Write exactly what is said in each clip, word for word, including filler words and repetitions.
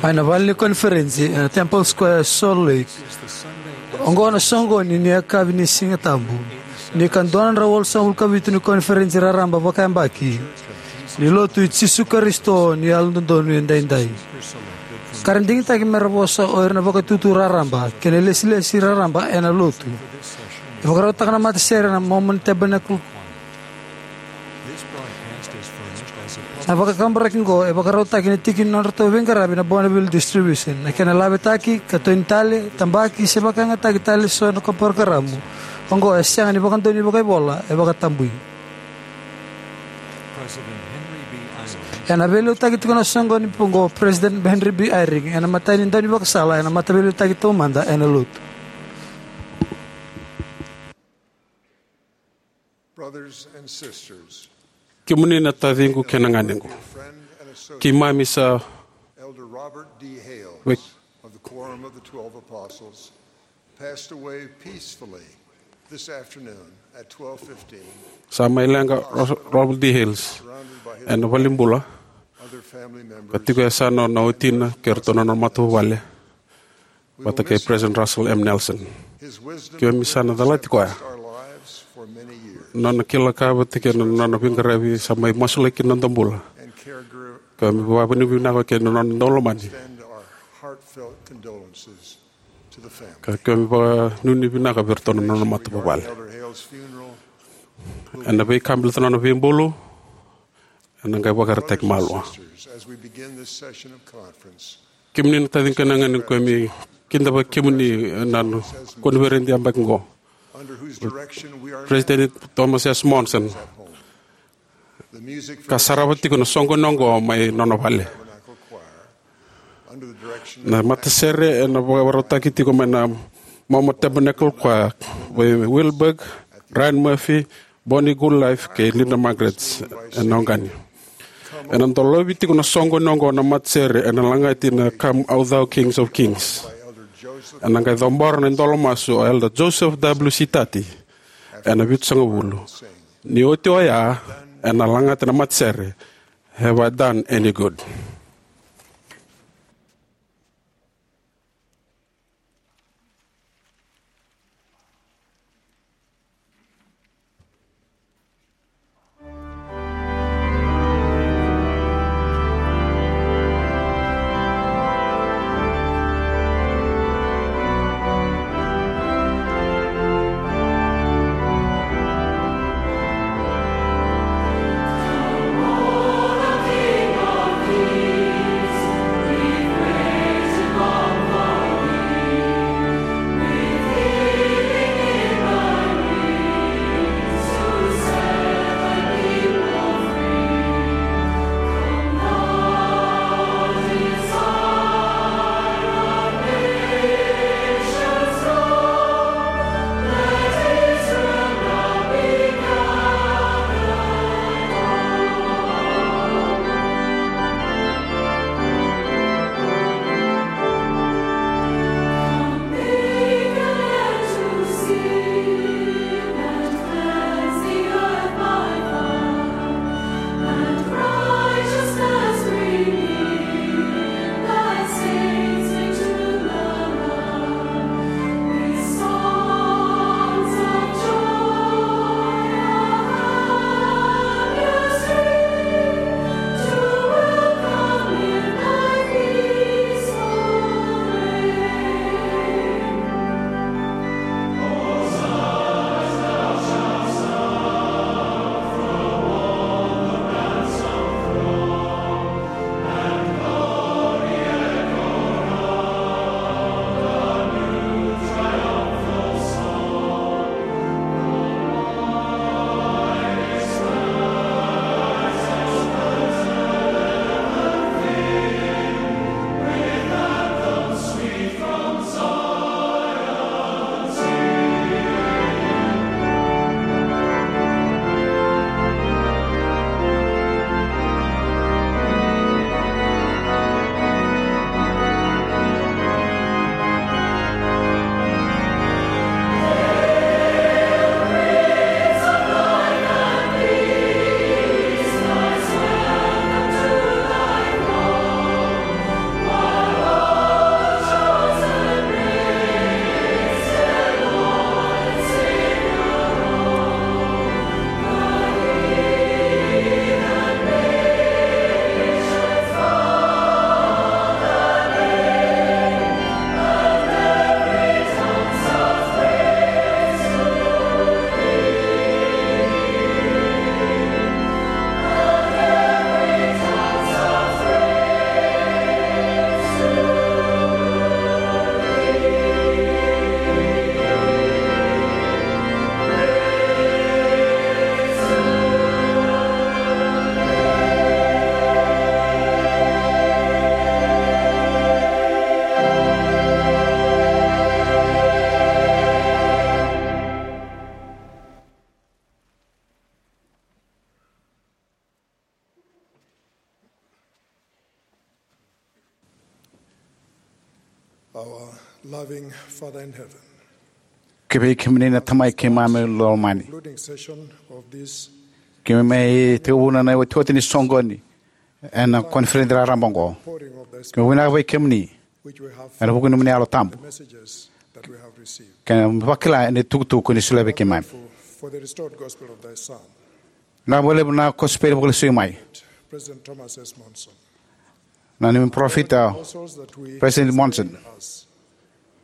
Mai na vale ni koniferensi ena Temple Square, Salt Lake. Oqo na soqoni ni yakavi ni Siga Tabu ni ka dua na drau walusagavulu ka vitu ni koniferensi raraba vakayabaki ni Lotu i Jisu Karisito ni Yalododonu Edaidai. Ka ra digitaki me ra vosa o ira na vakaitutu raraba kei na ilesilesi raraba ena Lotu. E vakarautaka na matasere na Mormon Tabernacle. Na vakakaburaki oqo e vakarautaki ena tiki ni nodratou veiqaravi na Bonneville Distribution. Na kena lavetaki, katoni tale, tabaki se vakayagataki tale eso na parokaramu oqo e sega ni vakadonui vakaivola, e vakatabui. Ena veiliutaki tiko na soqoni oqo o President Henry B. Eyring ena imatai ni daunivakasala ena mataveiliutaki taumada ena Lotu. Brothers and sisters, kemuni na taciqu kei na ganequ, friend and associate, keimami sa Elder Robert D. Hales wek- of the Quorum of the Twelve Apostles passed away peacefully this afternoon at twelve fifteen. Sa mai leqa Ros- Robert D. Hales surrounded by his ena valenibula, other family members, ka tiko e yasana na watina kei iratou na nona matavuvale vata kei President Russell M. Nelson. His wisdom keimami sa na calati koya. Our lives for many years. Nona kila ka vata kei na nona veiqaravi sa mai masulaki na noda bula. And care grew keimami vakavinavinaka kei na nona daulomani. Extend our heartfelt condolences to the family. Ka keimami vakanuinui vinaka vei iratou na nona matavuvale. Elder Hales' funeral ena veika baleta na nona veibulu ena qai vakaraitaki malua. Sisters, as we begin this session of conference, kemuni na taciqu kei na ganequ, keimami kidavaki kemuni ena koniferedi yabaki oqo. Under whose direction we are now. President Thomas S. Monson. The music from ka sarava tiko na soqoni oqo mai nona vale. Tabernacle Choir. Under the direction na matasere ena vakarautaki tiko mai na Mormon Tabernacle Choir, vei Wilberg, Ryan Murphy, Bonnie Goodlife kei Linda Margaret ena oqani. Ena dolovi tiko na soqoni oqo na matasere ena lagati na Come, O Thou King of Kings. Ena qai cabora na idolo masu o Elder Joseph W. Sitati ena vitusagavulu. Ni oti oya, ena lagata na matasere, Have I Done Any Good? Our loving Father in heaven, kivei kemuni na Tamai keimami lomani. Concluding session of this, keimami mai tekivuna na iotioti ni soqoni ena koniferedi raraba oqo. Pouring of the Spirit, keimami vinaka vei kemuni, which we have ena vuku ni nomuni Yalo Tabu, the messages that we have received, keimami vakila ena itukutuku ni solia vei keimami. Grateful for the restored gospel of thy Son. Vinaka vakalevu na kosipeli vakalesui mai. President Thomas S. Monson. Na neimami parofita, Apostles that we President Monson, as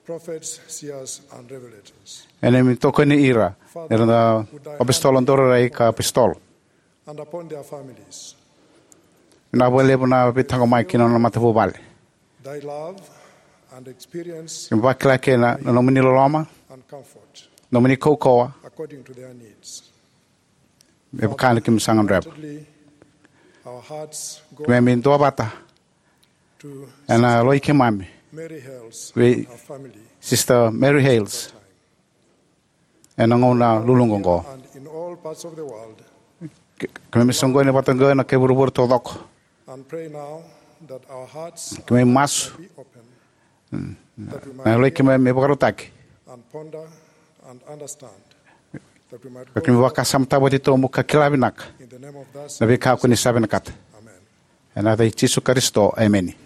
prophets, seers, and revelators. Ena neimami tokoni ira, era na apositolo, daurairai ka apositolo. And upon their families. Vinaka vakalevu na veitaqomaki ki na nona matavuvale. Thy love and experience. Keimami vakila kina na nomuni loloma, and comfort, nomuni kaukauwa, according to their needs. Me vaka na keimami sa gadreva. Our hearts go, keimami duavata, to ena loi keimami, Mary Hales, vei and her family, Sister Mary Hales, ena gauna luluqa oqo. And in all parts of the world. Ke-, keimami soqoni vata oqo ena kai vuravura taucoko. And pray now that our hearts, keimami masu, be open, mm, that we might, na loi keimami me vakarautaki, and ponder and understand, that we might, ka keimami vakasamataka vata titobu ka kila vinaka, in the name of thy Son, na veika ko ni sa vinakata. Amen. Ena yaca i Jisu Karisito, emeni.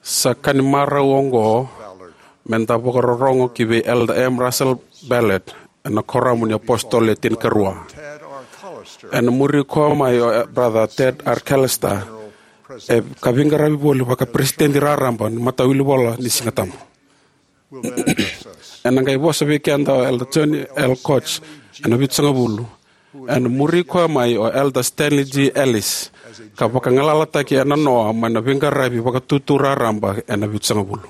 Sa ka ni marau oqo me da vakarorogo ki vei Elder M. Russell Ballard ena Kuoramu ni iApositolo Le Tinikarua. Ena muri koya mai o Brother Ted R. Callister, e ka veiqaravi voli vaka-peresitedi raraba ni Matawilivola ni Sigatabu. Ena qai vosa vei keda o Elder Johnny L. Koch ena Vitusagavulu. Ena muri koya mai o Elder Stanley G. Ellis, ka vakagalalataki ena noa mai na veiqaravi vakatutu raraba ena Vitusagavulu.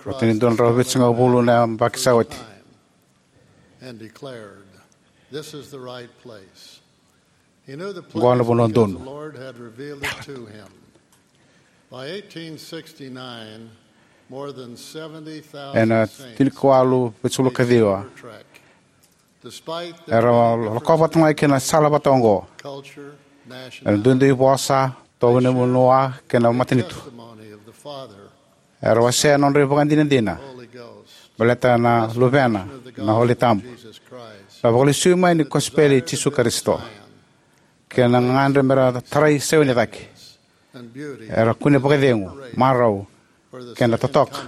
Oti ni dua na drau vitusagavulu na yabaki sa oti, oqo na vanua donu. Ena tinikawalu vitusagavulu ka ciwa, era lakova vata mai kina na sala vata oqo. Era duidui vosa, tovo ni vanua kei na matanitu. Era wasea na nodra ivakadinadina baleta na Luvena, na Holy Tabu, na vakalesui mai ni kosipeli i Jisu Karisito, kei na gagadre mera tarai Saioni cake. Era kune vakacegu, marau, kei na totoka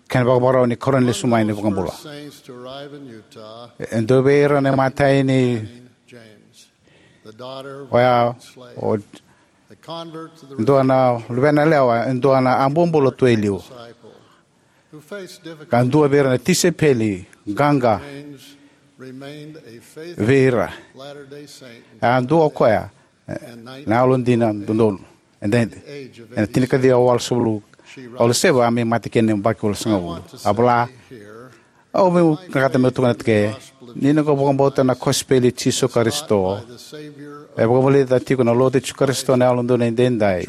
kei na vakavakarau ni Karua ni lesu mai ni iVakabula. E dua vei ira na imatai ni oya o dua na luvena yalewa, e dua na a bobula tu e liu. Ka dua vei ira na tisaipeli qaqa vei ira. A dua o koya na yalodina dodonu. Ena tinikaciwa walusagavulu, waluseva a mai mate kina na yabaki walusagavulu. A vola, au vinakata meu tukuna tiko ni noqu vakabauta na kosipeli i Jisu Karisito e vakavulica tiko na Lotu i Jisu Karisito na Yalododonu Edaidai.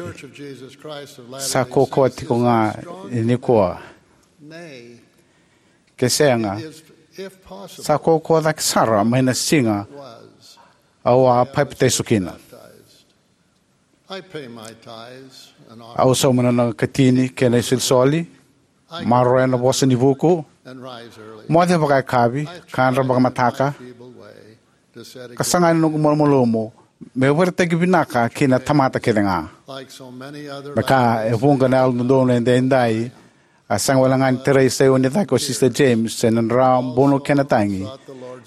Sa kaukauwa tiko ga nikua. Ke sega, sa kaukauwa cake sara mai na siga au a papitaiso kina. Au sauma na noqu katini kei na isolisoli, maroroya na Vosa ni Vuku, moce vakayakavi, kadra vakamataka, ka saga ni noqu malumalumu meu vakaraitaki vinaka ki na tamata kece ga. Me ka e vuqa na Yalododonu Edaidai, a sega wale ga ni tarai Saioni cake o Sister James ena dra bunu kei na tagi,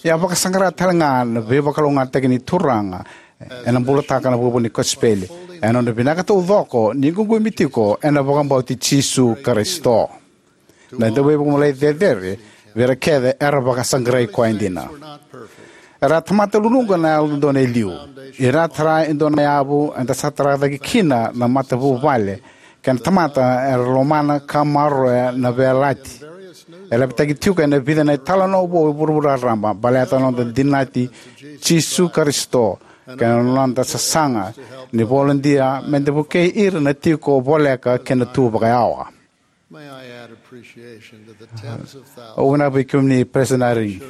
ia a vakasaqara tale ga na veivakalougatataki ni Turaga ena bulataka na vuavuai ni kosipeli ena nona vinaka taucoko ni ququmi tiko ena vakabauti Jisu Karisito, na Dauveivakamolai Cecere, vei ira kece era vakasaqarai koya dina. Era a tamata luluqa na Yalododonu e liu. Ira tara e dua na yavu eda sa taracake kina na matavuvale kei na tamata era lomana ka maroroya na veiyalayalati e lavitaki tiko ena vica na italanoa vou e vuravura raraba baleta na noda dinati Jisu Karisito kei na noda sasaga ni volodia me da vukei ira na tiko voleka kei na tu vakayawa. Au vinaka vei kemuni President Eyring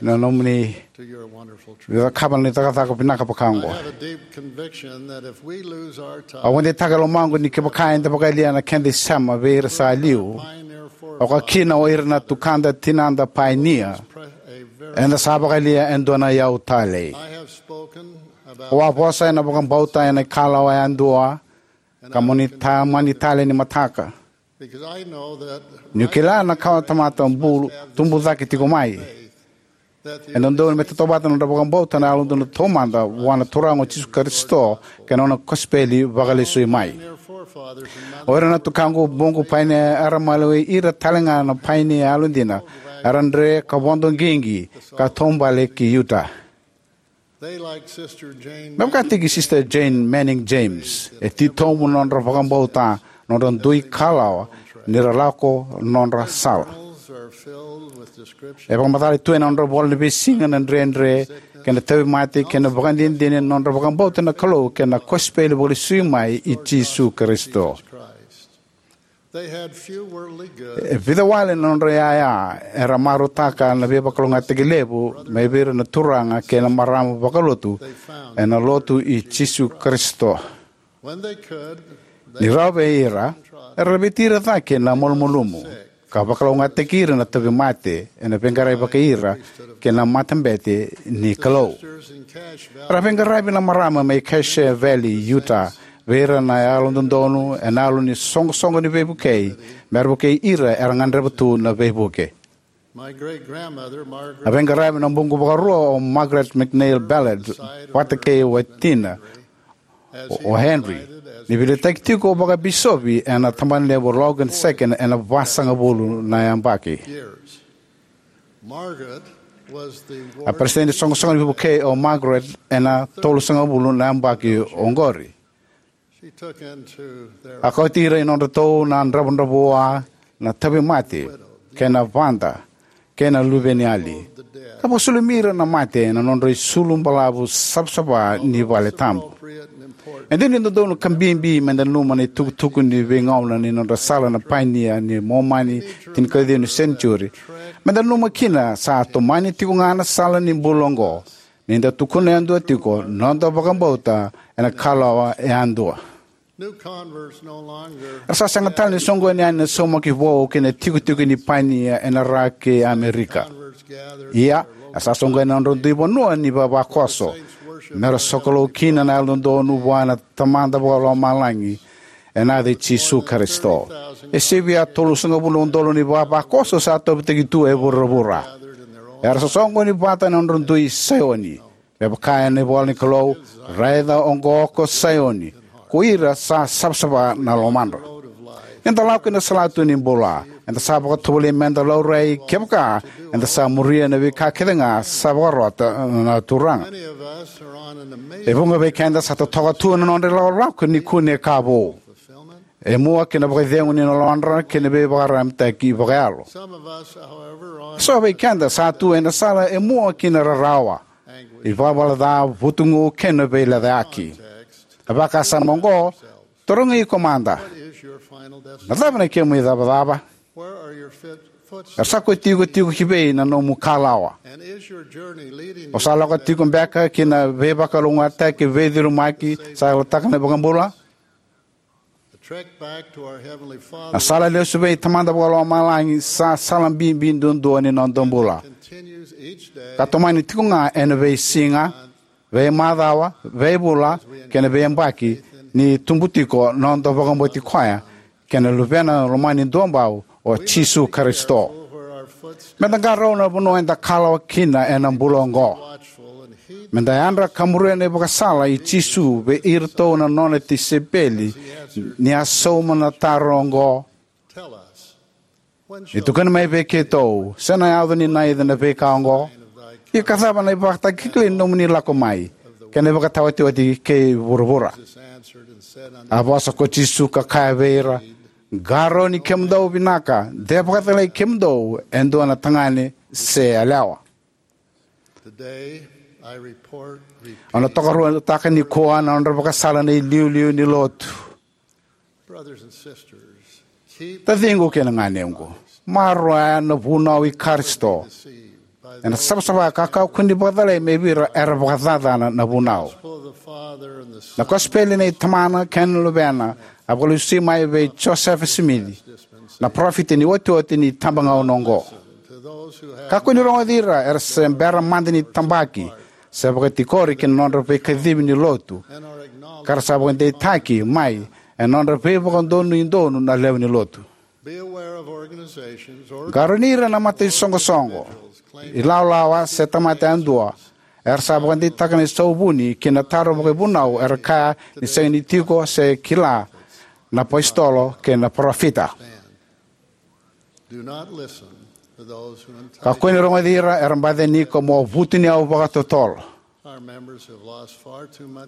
na nomuni cakava na cakacaka vinaka vaka oqo. Au vakadeitaka e lomaqu ni kevaka eda vakayalia na keda isema vei ira sa liu, oka kina o ira na tukada, tinada painia, eda sa vakayalia e dua na iyau talei. Au a vosa ena vakabauta ena ikalawa yadua ka mo ni tamani tale ni mataka. Niu kila na kawa tamata bulu tubu cake tiko mai. E dodonu me tautauvata na nodra vakabauta na Yalododonu Taumada vua na Turaga o Jisu Karisito kei na nona kosipeli vakalesui mai. O ira na tukaqu, buqu painia era maliwai ira talega na painia yalodina era dre ka vodo qiqi ka taubale ki Utah. Me vakataki Sister Jane Manning James, e titobu na nodra vakabauta na nodra dui kalawa ni ra lako na nodra sala. E vakamacala tu ena nodra ivola ni veisiga na dredre kei na tauvimate kei na vakadinadina ni nodra vakabauta na Kalou kei na kosipeli vakalesui mai i Jisu Karisito. E vica wale na nodra iyaya era marautaka na veivakalougatataki levu mai vei ira na turaga kei na marama vakalotu ena Lotu i Jisu Karisito. Ni rawa vei ira, era laveti ira cake na malumalumu, ka vakalougatataki ira na tauvimate ena veiqaravi vakai ira kei na matabete ni Kalou. Era a veiqaravi na marama mai Cache Valley, Utah, vei ira na yalododonu ena yalo ni soqosoqo ni veivukei, me ra vukei ira era gadreva tu na veivuke. A veiqaravi na buqu vakarua o Margaret McNeil Ballard vata kei watina, o Henry, ni veiliutaki tiko vakabisopi ena tabanalevu o Logan Second ena vasagavulu na yabaki. A peresitedi ni soqosoqo ni veivukei o Margaret ena tolusagavulu na yabaki oqori. A kauti ira i nodratou na dravudravua na tauvimate kei na vada kei na luveniyali, ka vakasulumi ira na mate ena nodra isulu balavu savasava ni vale tabu. E dina ni dodonu ka bibi meda nanuma na itukutuku ni veigauna ni nodra sala na painia ni Momani tinikaciwa ni senitiuri, meda nanuma kina sa tomani tiko ga na sala ni bula oqo ni da tukuna yadua tiko noda vakabauta ena kalawa yadua. Era sa sega tale ni soqoni yani na saumaki vou kei na tikotiko ni painia ena ra kei Amerika. Ia, era sa soqoni na nodra dui vanua ni vavakoso me ra sokalou kina na yalododonu vua na Tamada Vakalomalagi ena yaca i Jisu Karisito. E sivia tolusagavulu na udolu ni vavakoso sa tauvitaki tu e vuravura. Era sa soqoni vata ena nodra dui Saioni. Me vaka ena ivola ni Kalou, raica oqo ko Saioni, ko ira sa savasava na lomadra. Ni da lako ina salatu ni bula, eda sa vakatovolei meda laurai kevaka eda sa muria na veika kece ga sa vakarota na Turaga. E vuqa vei keda sa totoka tu na nodra ilakolako ni kune ka vou. E mua kina vakacegu ni lomadra kei na veivakaramitaki vakayalo. So vei keda sa tu ena sala e mua kina rarawa, ivalavala ca, vutugu kei na veilecayaki. A vakasama oqo, tarogi iko mada. Na cava na kemu icavacava? Era sa kotikotiko ki vei na nomu kalawa? O sa lako tiko beka ki na veivakalougatataki veicurumaki sa yalataka na iVakabula? A sala lesu vei Tamada Vakalomalagi sa sala bibi duadua ni noda bula, ka tomani tiko ga ena veisiga, veimacawa, veivula kei na veiyabaki ni tubu tiko noda vakabauti koya kei na Luvena lomani duabau o Jisu Karisito. Meda qarauna na vanua eda kalawa kina ena bula oqo. Meda yadra ka muria na ivakasala i Jisu vei iratou na nona tisaipeli ni a sauma na taro oqo: Ni tukuni mai vei keitou, se na yaco ni naica na veika oqo? Ia ka cava na ivakatakilakila ni nomuni lako mai kei na ivakataotioti kei vuravura? A vosa ko Jisu ka kaya vei ira: Qarauni kemudou vinaka, de vakacalai kemudou e dua na tagane se yalewa. Au na tokaruataka nikua na nodra vakasala na iliuliu ni lotu. Taciqu kei na ganequ, maroroya na vunau i Karisito. Ena savasava ka kakua ni vakacalai mai vei ira era vakacacana na vunau. Na kosipeli nei Tamana kei na Luvena a vakalesui mai vei Josefa Simici, na parofita ni iotioti ni itabagauna oqo. Kakua ni rogoci ira era se bera mada ni tabaki se vakatikori ki na nodra veikacivi ni lotu, ka ra sa vakadeitaki mai ena nodra veivakadonui donu na lewe ni lotu. Qarauni ira na mataisoqosoqo, ilawalawa se tamata yadua era sa vakadeitaka na isauvuni ki na taro vakaivunau era kaya ni sega ni tiko se kila na apositolo kei na parofita. Kakua ni rogoci ira era baci yani iko mo vutuniyau vakatotolo.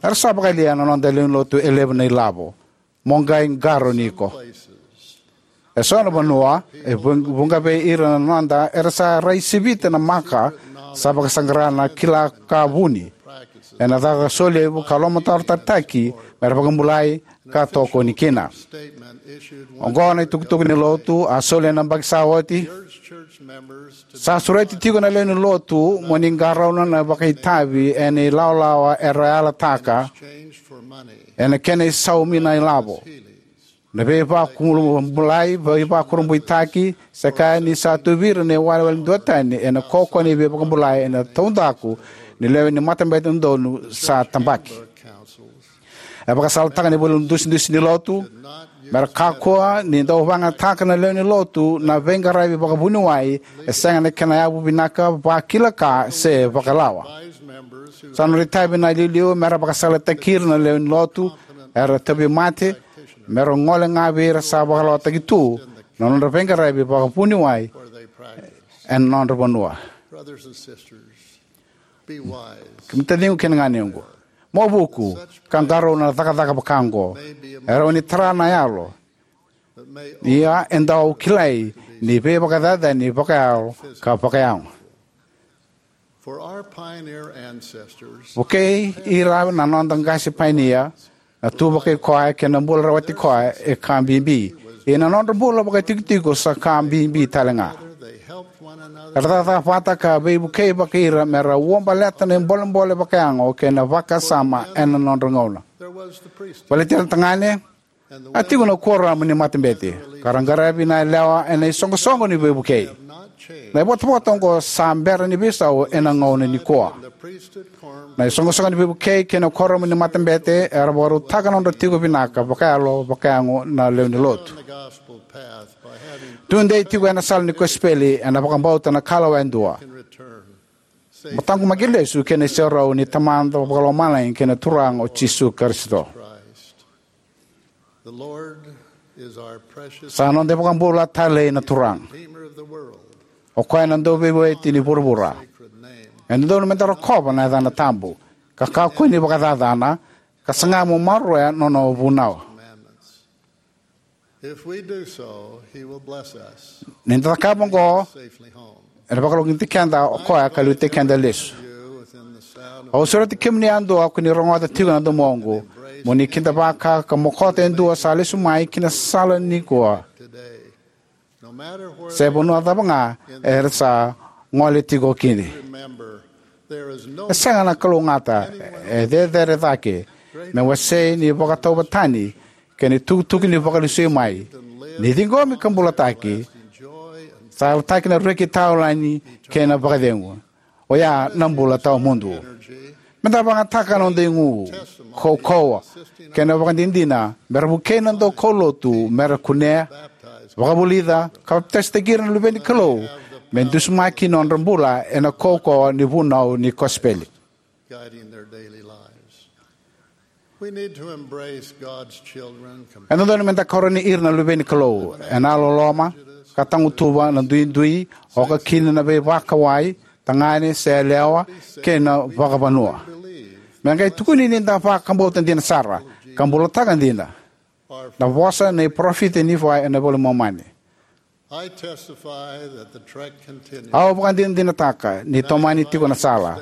Era sa vakayalia na noda lewe ni lotu e levu na ilavo. Mo qai qarauni iko. E so na vanua, e vu-, vuqa vei ira na noda era sa rai sivita na maka sa vakasaqara na kila ka vuni ena caka solevu ka lomatarotaki me ra vakabulai ka tokoni kina. Oqo na itukutuku ni lotu a soli ena yabaki sa oti. Sa sureti tiko na lewe ni lotu mo ni qarauna na vakaitavi ena ilawalawa era yalataka ena kena isaumi na ilavo. Na veivakubulai, veivakurabuitaki, se kaya ni sa tu vei ira na iwalewale duatani ena kaukauwa ni veivakabulai ena taudaku ni lewe ni matabete dodonu sa tabaki. E vakasalataka na ivola dusidusi ni lotu, me ra kakua ni dau vakayagataka na lewe ni lotu na veiqaravi vakavuniwai e sega na kena yavu vinaka, vakila ka, se vakalawa. Sa nodra itavi na iliuliu me ra vakasalataki ira na lewe ni lotu era tauvimate, me ra gole ga vei ira sa vakalawataki tu na nodra veiqaravi vakavuniwai ena nodra vanua. Brothers and sisters, be wise. Kemuni taciqu kei na ganequ, mo vuku ka qarauna na cakacaka vaka oqo. E rawa ni tara na yalo, ia e dau kilai ni veivakacacani vakayalo ka vakayago. For our pioneer ancestors, vukei ira na noda qase painia, na tu vakai koya kei na bula rawati koya e ka bibi. Ia na nodra bula vakaitikotiko sa ka bibi tale ga. They helped one another. Era cakacaka vata ka veivukei vakai ira me ra uabaleta na ibolebole vakayago kei na vakasama ena nodra gauna. There was the priesthood. Baleti ira na tagane, a tiko na kuoramu ni matabete, ka ra qaravi na yalewa ena isoqosoqo ni veivukei. Na ivotavota oqo sa bera ni veisau ena gauna nikua. Na isoqosoqo ni veivukei kei na kuoramu ni matabete era vakarautaka na nodra tiko vinaka vakayalo vakayago na lewe ni lotu. Tudei tiko ena sala ni kosipeli ena vakabauta na kalawa e dua. Mo taqomaki lesu ki na iserau ni Tamada Vakalomalagi kei na Turaga o Jisu Karisito. The Lord is our precious Sa noda iVakabula talei na Turaga. Redeemer of the world. O koya na Dauveivueti ni vuravura. Sacred name. E dodonu meda rokova na yacana tabu, ka kakua ni vakacacana, ka saga mo maroroya nona vunau. Commandments. If we do so, he will bless us. Ni da cakava oqo, safely home. Ena vakalougatataki keda o koya ka liutaki keda lesu. Au sureti kemuni yadua ko ni rogoca tiko na domoqu, mo ni kidavaka ka mokota e dua sa lesu mai ki na sala nikua. Se vanua cava ga era sa gole tiko kina. E sega na kalougata e cecere cake me wasei ni vakatauvatani kei na itukutuku ni Vakalesui mai, ni ciqomi ka bulataki, sa yalataki na reki taulani kei na vakacegu. Oya na bula tawamudu. Meda vakayagataka na noda igu, kaukauwa, kei na ivakadinadina me ra vukei na daukaulotu me ra kunea, vakavulica, ka papitaisotaki ira na luve ni Kalou, me dusimaki nodra bula ena kaukauwa ni vunau ni kosipeli. Guiding their daily lives. We need to embrace God's children. E dodonu meda karoni ira na luve ni Kalou ena loloma, ka tagutuva na duidui, oka kina na veivakawai, tagane se yalewa, kei na vakavanua. Me qai tukuni ni da vakabauta dina sara ka bulataka dina na vosa nei parofita Nifai ena iVola i Momani. I testify that the trek continues. Au vakadinadinataka ni tomani tiko na sala.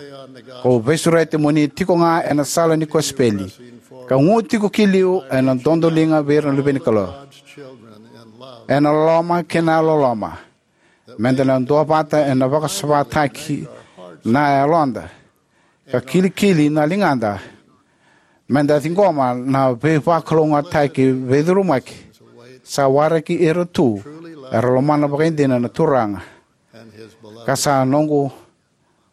Kau veisureti mo ni tiko ga ena sala ni kosipeli, ka gu tiko ki liu ena dodoliga vei ira na luve ni Kalou. Ena loloma kei na loloma, meda na duavata ena vakasavataki na yaloda, ka kilikili na ligada, meda ciqoma na veivakalougatataki veicurumaki sa waraki ira tu era lomana vakaidina na Turaga, ka sa noqu,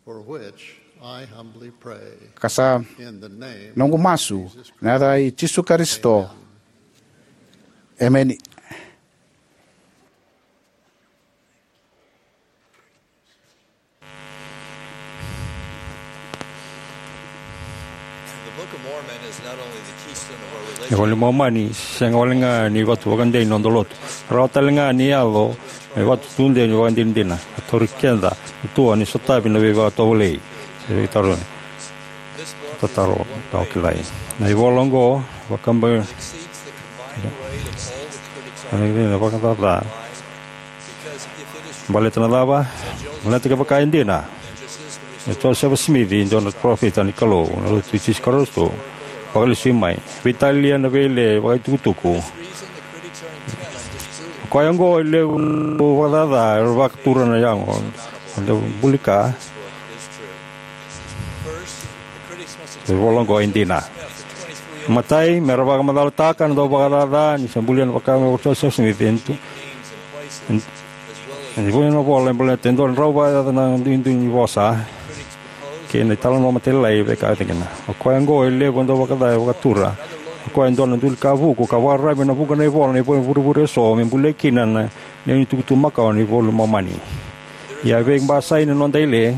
for which I humbly pray, ka sa in the name noqu masu, na yaca i Jisu Karisito. Emeni. The Book of Mormon is not only the keystone of our relationship. Na iVola i Momani sega walega ni vatu vakadei ni noda lotu. Rawa talega ni yaco me vatu tudei ni vakadinadina. A tauri keda na tua ni sotavi na veivakatovolei. Se veitaro. Tataro, tau kilai. Na ivola oqo, vakaba, na vakacaca. Baleta na cava? Baleta kevaka e dina, e Josefa Simici e dua na parofita ni Kalou, na Lotu i Jisu Karisito, vakalesui mai, veitalia na veile vakaitukutuku. O koya oqo e levu na vakacaca era vakatura na yago, na bulika. E vola oqo e dina. Matai, me ra vakamacalataka na dauvakacaca ni sa bulia na vakavaka o Josefa Simici e dua na vola e baleta e dua na drau vakayaca na duidui ni vosa kei na italanoa matailalai e veika e tikina. O koya oqo e levu na dauvakacaca e vakatura. O koya e dua na duli ka vuku ka vakararavi ena vuqa na ivola na ivurevure eso me bulia kina na lewe ni tukutuku makawa ni iVola i Momani. Ia e veibasai na noda ile,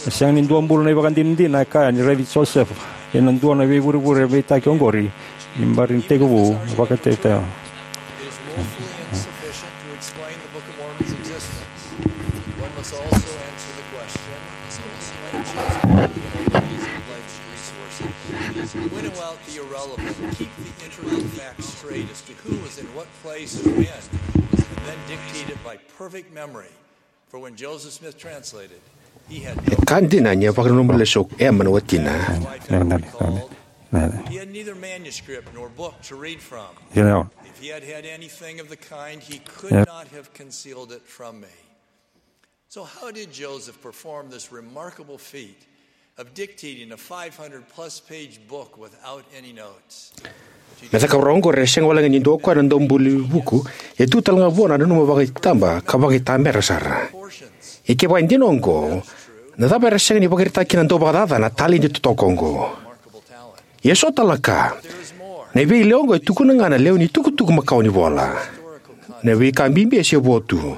e sega ni dua bula na ivakadinadina e kaya ni raici Josefa ena dua na veivurevure veitaki oqori ni bari ni tekivu na vakaitaitau. It is woefully insufficient to explain the Book of Mormon's existence. One must also answer the question, when Joseph Smith pledged resources. Win out the irrelevant, keep the intricate facts straight as to who was in what place and when, and then dictate it by perfect memory. For when Joseph Smith translated, he had no E ka dina ni a vakananuma lesu o Ema na watina. Wife had recalled, he had neither manuscript nor book to read from. If he had had anything of the kind, he could not have concealed it from me. So how did Joseph perform this remarkable feat of dictating a five hundred plus page book without any notes? Na cakacaka oqori e sega wale ga ni dua o koya na daubuli vuku, e tu tale ga vua na nanuma vakaitaba ka vakaitamera sara. Ia kevaka e dina oqo, na cava era sega ni vakaraitaka kina na dauvakacaca na taledi totoka oqo? Ia so tale na ka, na veileo oqo e tukuna ga na lewe ni tukutuku makawa ni vola. Na veika bibi e se vo tu.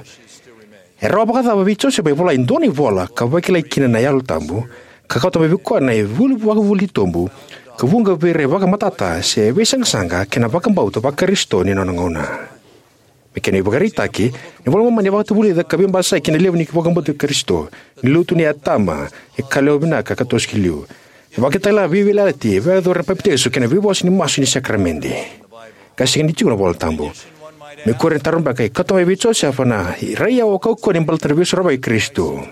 E rawa vakacava vei Josefa e vola e dua na ivola ka vakilai kina na Yalo Tabu, ka kauta mai vei koya na vuli vakavuli tobu, ka vuqa vei ira e vakamatata se veisaqasaqa kei na vakabauta vaKarisito ni nona gauna? Me kena ivakaraitaki, na iVola i Momani e vakatavulica ka veibasai kei na levu ni vakabauta Karisito, ni lotu nei Atama, e ka lewa vinaka ka toso ki liu. E vakatakila na veiyalayalati e vakayacori ena papitaiso kei na veivosa ni masu ni sakaramede. Ka sega ni tiko na iVola Tabu. Me kua ni taro beka, e kauta mai vei Josefa na iraiyawa kaukauwa ni baleta na Veisorovaki i Karisito.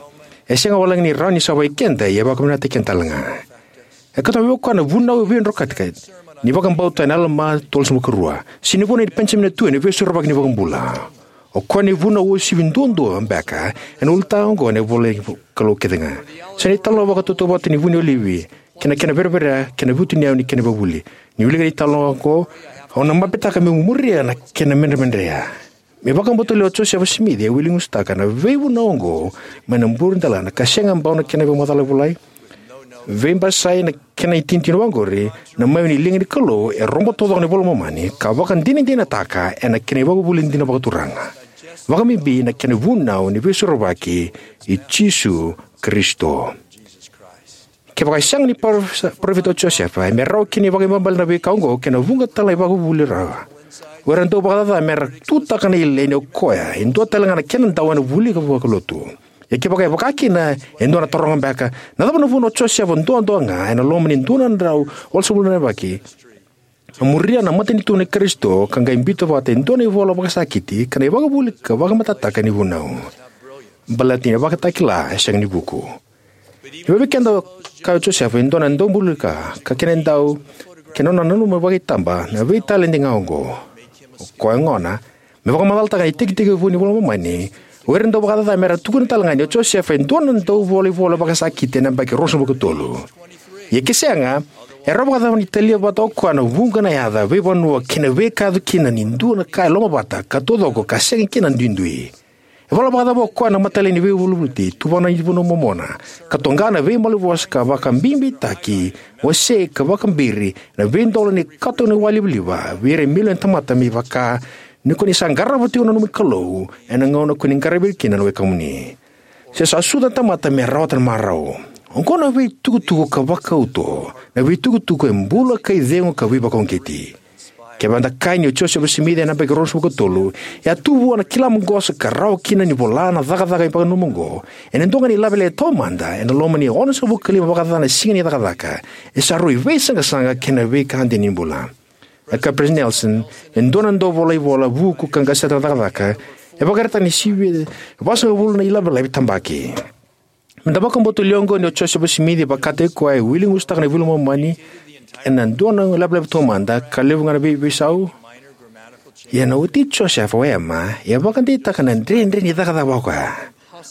E sega wale ga ni rawa ni savai keda, ia e vakavinakataki keda tale ga. E kauta mai vei koya na vunau veidrokati ni vakabauta ena Alama tolusagavulu ka rua, se na vunau nei Penijamina tu ena Veisorovaki ni iVakabula. O koya na ivunau uasivi duadua beka ena ulutaga oqo ena ivola ni Kalou kece ga. Sa na italanoa vakatautauvata ni vu ni olive kei na kena vereverea kei na vutuniyau ni kena ivakavuvuli. Ni wilika na italanoa oqo, au na mapetaka meu muria na kena medremedreya. Me vakabauta lewa o Josefa Simici, e wiligusutaka na veivunau oqo mai na buredelana ka sega bau na kena ivakamacala volai. Veibasai na kena itinitini oqori, na mawe ni liga ni Kalou e rogo taucoko na iVola i Momani ka vakadinadinataka ena kena ivakavuvuli dina vakaturaga, vakabibi na kena ivunau ni Veisorovaki i Jisu Karisito. Kevaka e sega ni parofita o Josefa, e me rawa kina ni vakaibalebale na veika oqo kei na vuqa tale na ivakavuvuli rawa. O ira na dauvakacaca me ra tutaka na ileni o koya e dua tale ga na kena dau ena vuli vakalotu. Ia kevaka e vaka kina, e dua na taroga beka, na cava na vunau o Josefa duadua ga ena loma ni dua na drau walusagavulu na yabaki, a muria na matanitu nei Karisito ka qai biuta vata e dua na ivola vakasakiti ka na ivakavuvuli ka vakamatatataka ni vunau? Baleta ni vakatakila e sega ni vuku. E vei keda, o Josefa e dua na daubulika ka kena dau, kei na nona nanuma vakaitaba na veitaledi ga oqo. O koya gona, me vakamacalataka na itekitekivu ni iVola i Momani, o ira na dauvakacaca me ra tukuna tale ga ni o Josefa e dua na dauvolaivola vakasakiti ena yabaki ruasagavulu ka tolu. Ia ke sega, e rawa vakacava ni talia vata o koya na vuqa na yaca, veivanua kei na veika e yaco kina ni dua na ka e lomavata ka taucoko ka sega kina na duidui? E vola vakacava o koya na matailayi ni veivolivoliti, tuvana ni Vunau Momona, ka toqa na veimalanivosa ka vakabibitaki, wasei ka vakabiri na veidola ni kato ni walivaliva vei ira e milioni na tamata, me vaka ni ko ni sa qarava tiko na nomu Kalou ena gauna ko ni qaravi ira kina na wekamuni, se sa sucu na tamata me rawata na marau? Oqo na veitukutuku ka vakauto, na veitukutuku e bula ka icegu ka veivakauqeti. Kevaka eda kaya ni o Josefa Simici ena yabaki ruasagavulu ka tolu, e a tu vua na kila maqosa ka rawa kina ni vola na cakacaka e vakananuma oqo ena dua ga na ilavelave taumada ena loma ni onosagavulu ka lima vakacaca na Siga ni Cakacaka, e sa rui veisaqasaqa kei na veika dina ni bula. E kaya o Peresitedi Nelson, e dua na dauvolaivola vuku ka qaseta na cakacaka e vakaraitaka na sivi vasagavulu na ilavelave tabaki. Me da vakabauta lewa oqo ni o Josefa Simici e vakataki koya e wiligusutaka na iVola i Momani ena dua na ilavelave taumada ka levu ga na veiveisau. Ia na wati Josefa, o Ema, e vakadeitaka na dredre ni cakacaka vakaoya.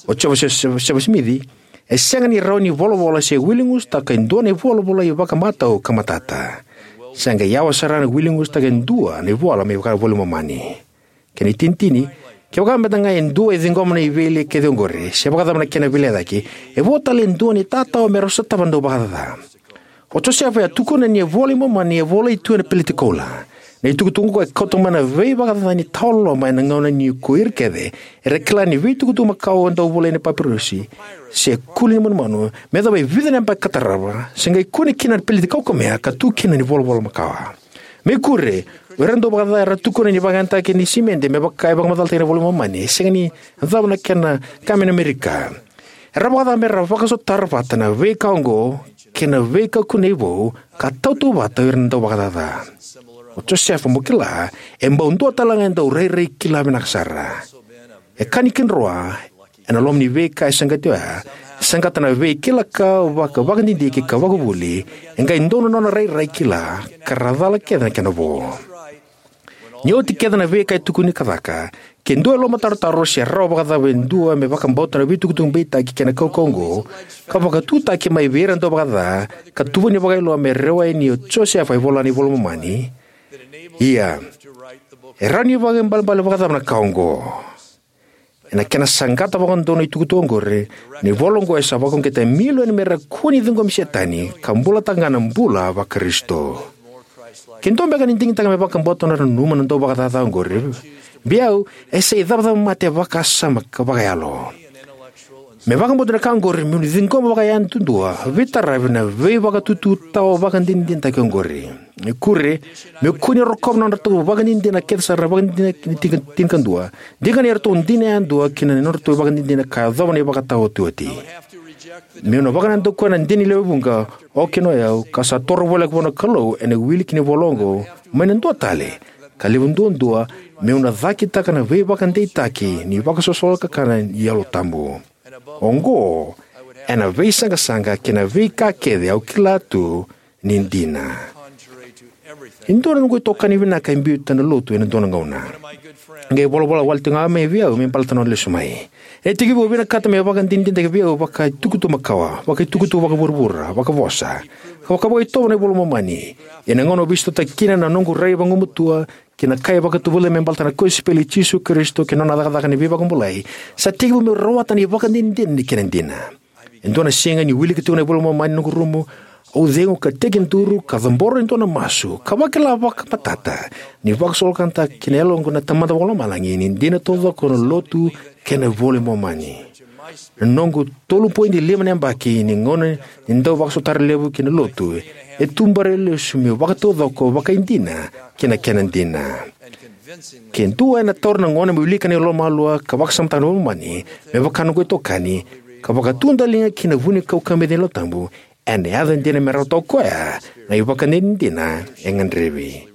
O Josefa Simici e sega ni rawa ni volavola se wiligusutaka e dua na ivola volai vakamatau ka matata. Sa qai yawa sara na wili gusutaka e dua na ivola me vaka na iVola i Momani. Kena itinitini, kevaka meda ga e dua e ciqoma na veilei kece oqori, se vakacava na kena veilecayaki, e vo tale e dua na itatau me rau sotava na dauvakacaca. O Josefa e a tukuna ni iVola i Momani e volai tu ena peleti koula. Na itukutuku oqo e kauta mai na veivakacaca ni tawaloloma ena gauna ni ko ira kece era kila ni veitukutuku makawa e dau volai ena papirusi se kuli ni manumanu, me yacova e vica na yabaki ka tarava, se qai kune kina na peleti kaukamea ka tu kina na ivolavola makawa. Me kure, o ira na dauvakacaca era tukuna ni vakayagataki ni simede me vaka e vakamacalataki ena iVola i Momani e sega ni yacova na kena ka mai na Amerika. Era vakacava me ra vakasotara vata na veika oqo kei na veika kunei vou ka tautauvata o ira na dauvakacaca. O Josefa, mo kila, e bau dua tale ga e dau rairai kila vinaka sara. E ka ni kidroa, ena loma ni veika e saqati oya, e saqata na veikila ka vaka, vakadidike ka vakavuli, e qai donu na nona rairai kila ka ra cala kece na kena vo. Ni oti kece na veika e tukuni ka caka, ke dua e lomatarotaro se rawa vakacava e dua me vakabauta na veitukutuku beitaki kei na kaukauwa oqo, ka vakatutaki mai vei ira na dauvakacaca, ka tuvani vakailoa me rewa yani o Josefa e vola na iVola i Momani. Ia, e rawa ni vakaibalebale vakacava na ka oqo? Ena kena saqata vakadodonu na itukutuku oqori, na ivola oqo e sa vakauqeta e milioni me ra kua ni ciqomi Setani ka bulataka ga na bula vaKarisito. Ke dua beka ni digitaka me vakabauta na nanuma na dauvakacaca oqori, vei au e sa icavacava mate vakasama ka vakayalo. Me vakabauta na ka oqori, meu na ciqoma vakayadudua, veitaravi na veivakatutu tawa vakadinadinataki oqori. E kure, meu kua ni rokova na nodratou vakadinadina kece sara na vakadinadina ni tika, tinikadua. Diga ni ratou dina yadua kina na nodratou vakadinadina ka yacova na ivakataotioti. Meu na vakanadakuya na dina ni lewe vuqa, o kina o yau, ka sa toro voleka vua na Kalou ena wili kina ivola oqo, mai na dua tale, ka levu duadua, meu na cakitaka na veivakadeitaki ni vakasosola kakana ni Yalo Tabu. Oqo, ena veisaqasaqa kei na veika kece au kila tu ni dina. E dua na noqu itokani vinaka e biuta na lotu ena dua na gauna. Qai volavola wale tiko ga mai vei au me baleta na nona lesu mai. E tekivu au vinakata me vakadinadinataki vei au vakaitukutuku makawa, vakaitukutuku vakavuravura, vakavosa, ka vakavakaitovo na iVola i Momani. Ena gauna au veisotaki kina na noqu rai vagumatua kei na ka e vakatuvula me baleta na kosipeli i Jisu Karisito kei na nona cakacaka ni veivakabulai, sa tekivu meu rawata na ivakadinadina ni kena dina. E dua na siga niu wilika tiko na iVola i Momani ena noqu rumu, au cegu ka tekiduru ka cabora e dua na masu ka vakila vakamatata ni vakasolokata ki na yaloqu na Tamada Vakalomalagi ni dina taucoko na lotu kei na iVola i Momani. Na noqu tolu poidi lima na yabaki ni gauna ni dau vakasotari levu ki na lotu e tubera lesu meu vakataucoko vakaidina ki na kena dina. Ke dua ena taura na gauna me wilika na ilomalua ka vakasamataka na iVola i Momani me vaka noqu itokani, ka vakatu daliga ki na vunikau ka beci ni Yalo Tabu, ena yaco dina me rawata o koya na ivakadinadina e gadrevi.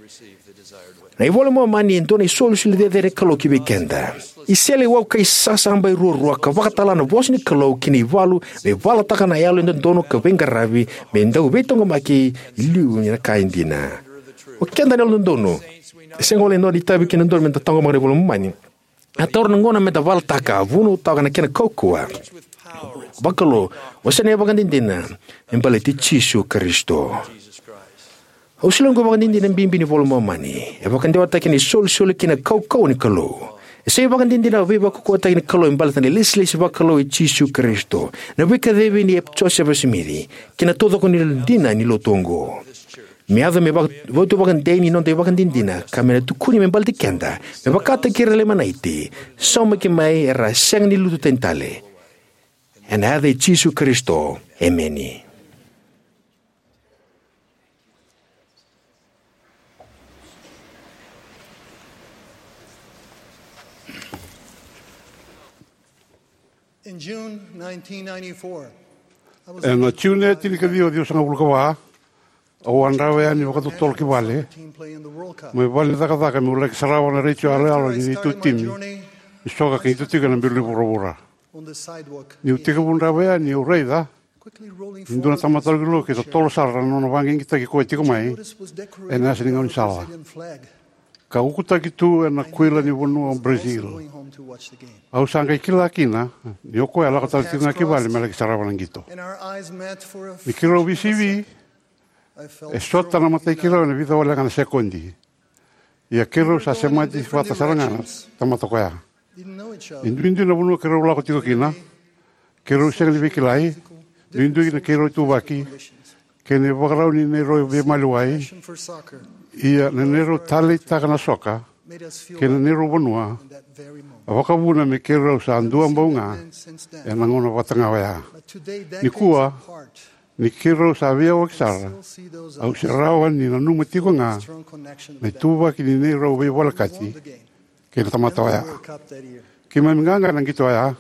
Na iVola i Momani e dua na isolisoli cecere ni Kalou ki vei keda. Iseleiwau ka isasabai ruarua ka vakatala na vosa ni Kalou ki na ivalu me valataka na yalo e dodonu ka veiqaravi me dau veitaqomaki e liu ni na ka e dina. O keda na yalododonu, e sega wale e dua na itavi kei na dodonu meda taqomaka na iVola i Momani. A taura na gauna meda valataka, vunautaka na kena kaukauwa vakalou, o sa na ivakadinadina me baleti Jisu Karisito. Au solia oqo ivakadinadina bibi ni iVola i Momani. E vakadewataki na isolisoli kei na kaukauwa ni Kalou. E sa ivakadinadina veivakaukauwataki ni Kalou me baleta na ilesilesi vakalou i Jisu Karisito, na veikacivi nei Josefa Simici, kei na taucoko ni dina ni lotu oqo. Me yaco me vaka, vatu vakadei ni noda ivakadinadina, ka me na tukuni me baleti keda me vakataki ira na Leimanaiti, saumaki mai era sega ni lutu tani tale. Ena yaca i Jisu Karisito, emeni. In June nineteen ninety-four, I was Ena June e tinikaciwa, ciwasagavulu ka va, au a draiva yani vakatotolo ki vale, team play in the World Cup. Mai vale ni cakacaka meu laki sarava na retio yaloyalo ni neitou timi ni soka ka qito tiko ena belu ni vuravura. On the sidewalk, niu tekivu draiva yani au raica quickly rolling e dua na tamata lokiloki e totolo sara na nona vaqigitaki koya tiko mai ena yasa ni gaunisala, ka ukutaki tu ena kuila ni vanua o Brazil. Au sa qai kila kina ni o koya e lako tale tiko ga ki vale me laki sarava na qito. Ni keirau veisivi, E sota na mata i keirau ena vica walega na sekodi. Ia keirau sa semati vata sara ga na tamata koya. E duidui na vanua keirau lako tiko kina. Keirau sega ni veikilai. Duidui na keirau ituvaki kei na ivakarau ni neirau veimaliwai. Ia na neirau taleitaka na soka kei na neirau vanua a vakavuna me keirau sa dua bau ga ena gauna vata ga oya. Nikua, ni keirau sa veiyawaki sara, au se rawa ni nanuma tiko ga na ituvaki ni neirau veivolekati kei na tamata oya. Keimami qaqa ena qito oya,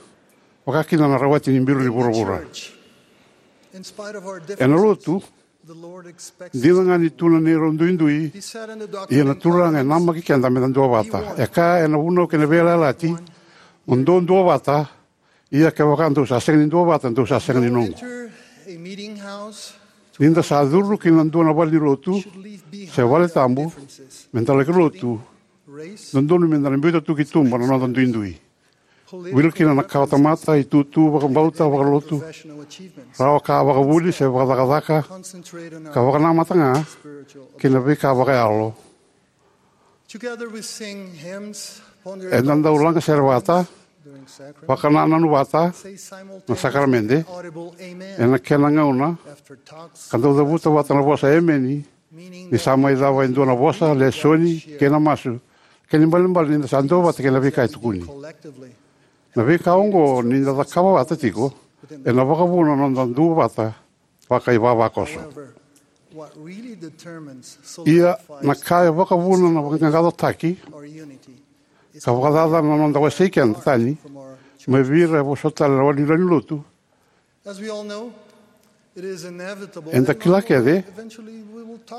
vaka kina na rawati ni biru ni vuravura. Ena lotu, dina ga ni tu na neirau duidui, ia na Turaga e namaki keda meda duavata. E kaya ena Vunau kei na Veiyalayalati, mo dou duavata, ia kevaka dou sa sega ni duavata, dou sa sega ni noqu. Ni da sa curu ki na dua na valenilotu se valetabu meda laki lotu, dodonu meda na biuta tu ki tuba na noda duidui. Wili kina na kawatamata, itutu, vakabauta, vakalotu, rawa ka vakavuli se vakacakacaka, ka vakanamata ga ki na veika vakayalo. Eda dau lagasere vata, vakanananu vata na sakaramede ena kena gauna, ka dau cavuta vata na vosa emeni ni sa mai cava e dua na vosa, lesoni kei na masu, kena ibalebale ni da sa duavata kei na veika e tukuni. Na veika oqo ni da cakava vata tiko ena vakavuna na noda duavata vakaivavakoso. Ia na ka e vakavuna na vaqaqacotaki ka vakacacana na noda wasei keda tani mai vei ira e vosota tale na valenilotu. Eda kila kece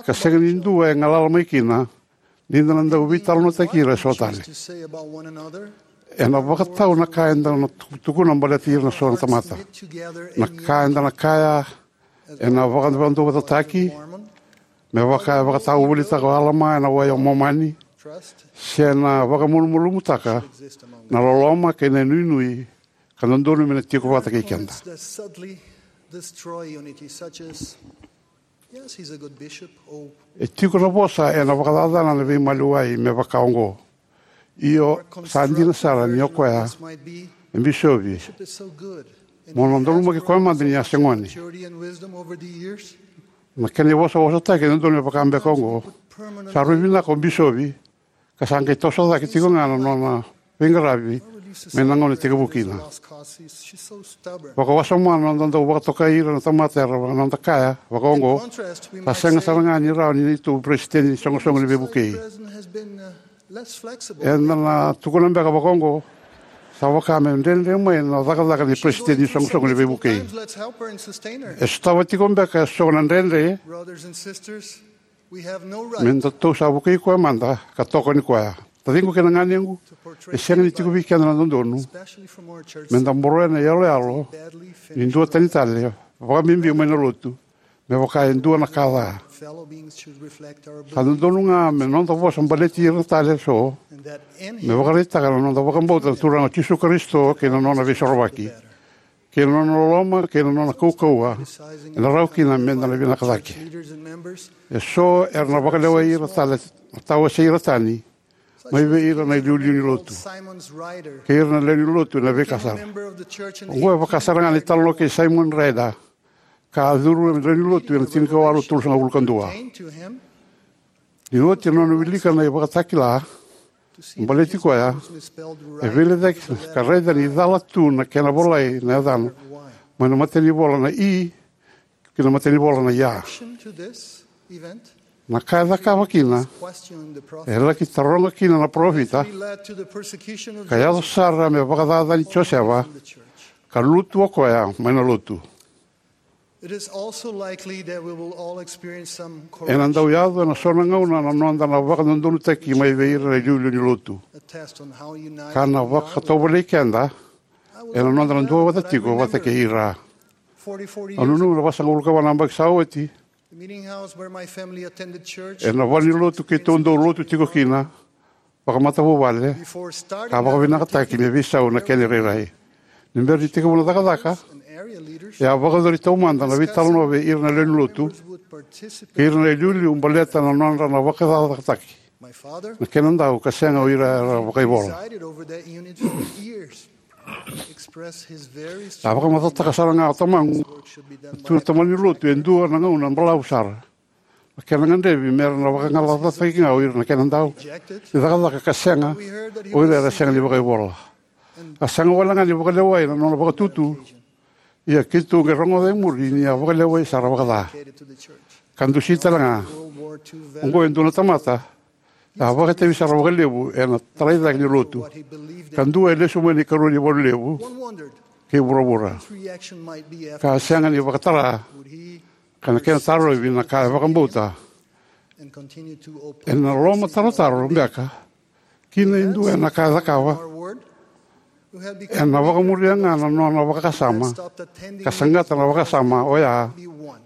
ka sega ni dua e galala mai kina ni da na dau veitalanoataki ira eso tale. Ena vakatau na ka eda na tukuna baleti ira na so na tamata. Na ka eda na kaya ena vakadavadavutaki me vaka e vakatavulici o Alama ena wai o Momani, se na vakamalumalumutaka na loloma kei na inuinui ka dodonu me na tiko vata kei keda. E tiko na vosa ena vakacacana na veimaliwai me vaka oqo. Io, sa dina sara ni o koya e bisovi. Mo na donumaki koya mada ni a se gone. Na kena ivosavosataki e dodonu me vaka beka oqo. Sa rui vinaka o bisovi ka sa qai toso cake tiko ga na nona veiqaravi mai na gauna e tekivu kina. Vakawasoma na noda dau vakatokai ira na tamata era na noda kaya vaka oqo. Sa sega sara ga ni rawa ni neitou peresitedi ni soqosoqo ni veivukei. Eda na tukuna beka vaka oqo, sa vaka me dredre mai na cakacaka ni peresitedi ni soqosoqo ni veivukei. E sotava tiko beka eso na dredre me datou sa vukei koya mada ka tokoni koya. Taciqu kei na ganequ, e sega ni tiko vei keda na dodonu me da boroya na iyaloyalo ni duatani tale, vakabibi mai na lotu, me vaka e dua na ka ca. Sa dodonu ga me noda vosa baleti ira tale eso me vakaraitaka na noda vakabauta na Turaga o Jisu Karisito kei na nona veisorovaki, kei na nona loloma kei na nona kaukauwa ena rawa kina me da na vinaka cake. Eso era na vakalewai ira tale na tawasei ira tani mai vei ira na iliuliu ni lotu kei ira na lewe ni lotu ena veika sara. Oqo e vaka sara ga na italanoa kei Simon Ryder, ka a curu ena lewe ni lotu ena tinikawalu tolusagavulu ka dua. Ni oti na nona wilika na ivakatakila baleti koya, e veilecayaki ka raica ni cala tu na kena volai na yacana mai na matanivola na I ki na matanivola na I A. Na ka e cakava kina, e laki taroga kina na parofita, ka yaco sara me vakacacani Josefa ka lutu o koya mai na lotu. Ena dau yaco ena so na gauna na noda na vakadodonutaki mai vei ira na iliuliu ni lotu, ka na vakatovolei keda ena noda na duavata tiko vata kei ira. Au nanuma na vasagavulu ka va na yabaki sa oti, ena valenilotu keitou dau lotu tiko kina vakamatavuvale, ka vakavinakataki me veisau na kena irairai. Ni bera ni tekivu na cakacaka, e a vakayacori taumada na veitalanoa vei ira na lewe ni lotu kei ira na iliuliu baleta na nodra na vakacakacakataki na kena dau ka sega o ira era vakaivola. A vakamacalataka sara ga o tamaqu, tu na tamani lotu e dua na gauna balavu sara na kena gadrevi me ra na vakagalacataki ga o ira na kena dau ni cakacaka ka sega o ira era sega ni vakaivola. A sega wale ga ni vakalewai na nona vakatutu, ia keitou qai rogoca e muri ni a vakalewai sara vakaca ka dusi tale ga. Oqo e dua na tamata a vakaitavi sara vakalevu ena tarai cake ni lotu, ka dua e lesu mai na ikarua ni valu levu kei vuravura, ka a sega ni vakatara ka na kena tarovi na ka e vakabauta. Ena lomatarotaro beka kina e dua ena ka e cakava, ena vakamuria ga na nona vakasama ka saqata na vakasama oya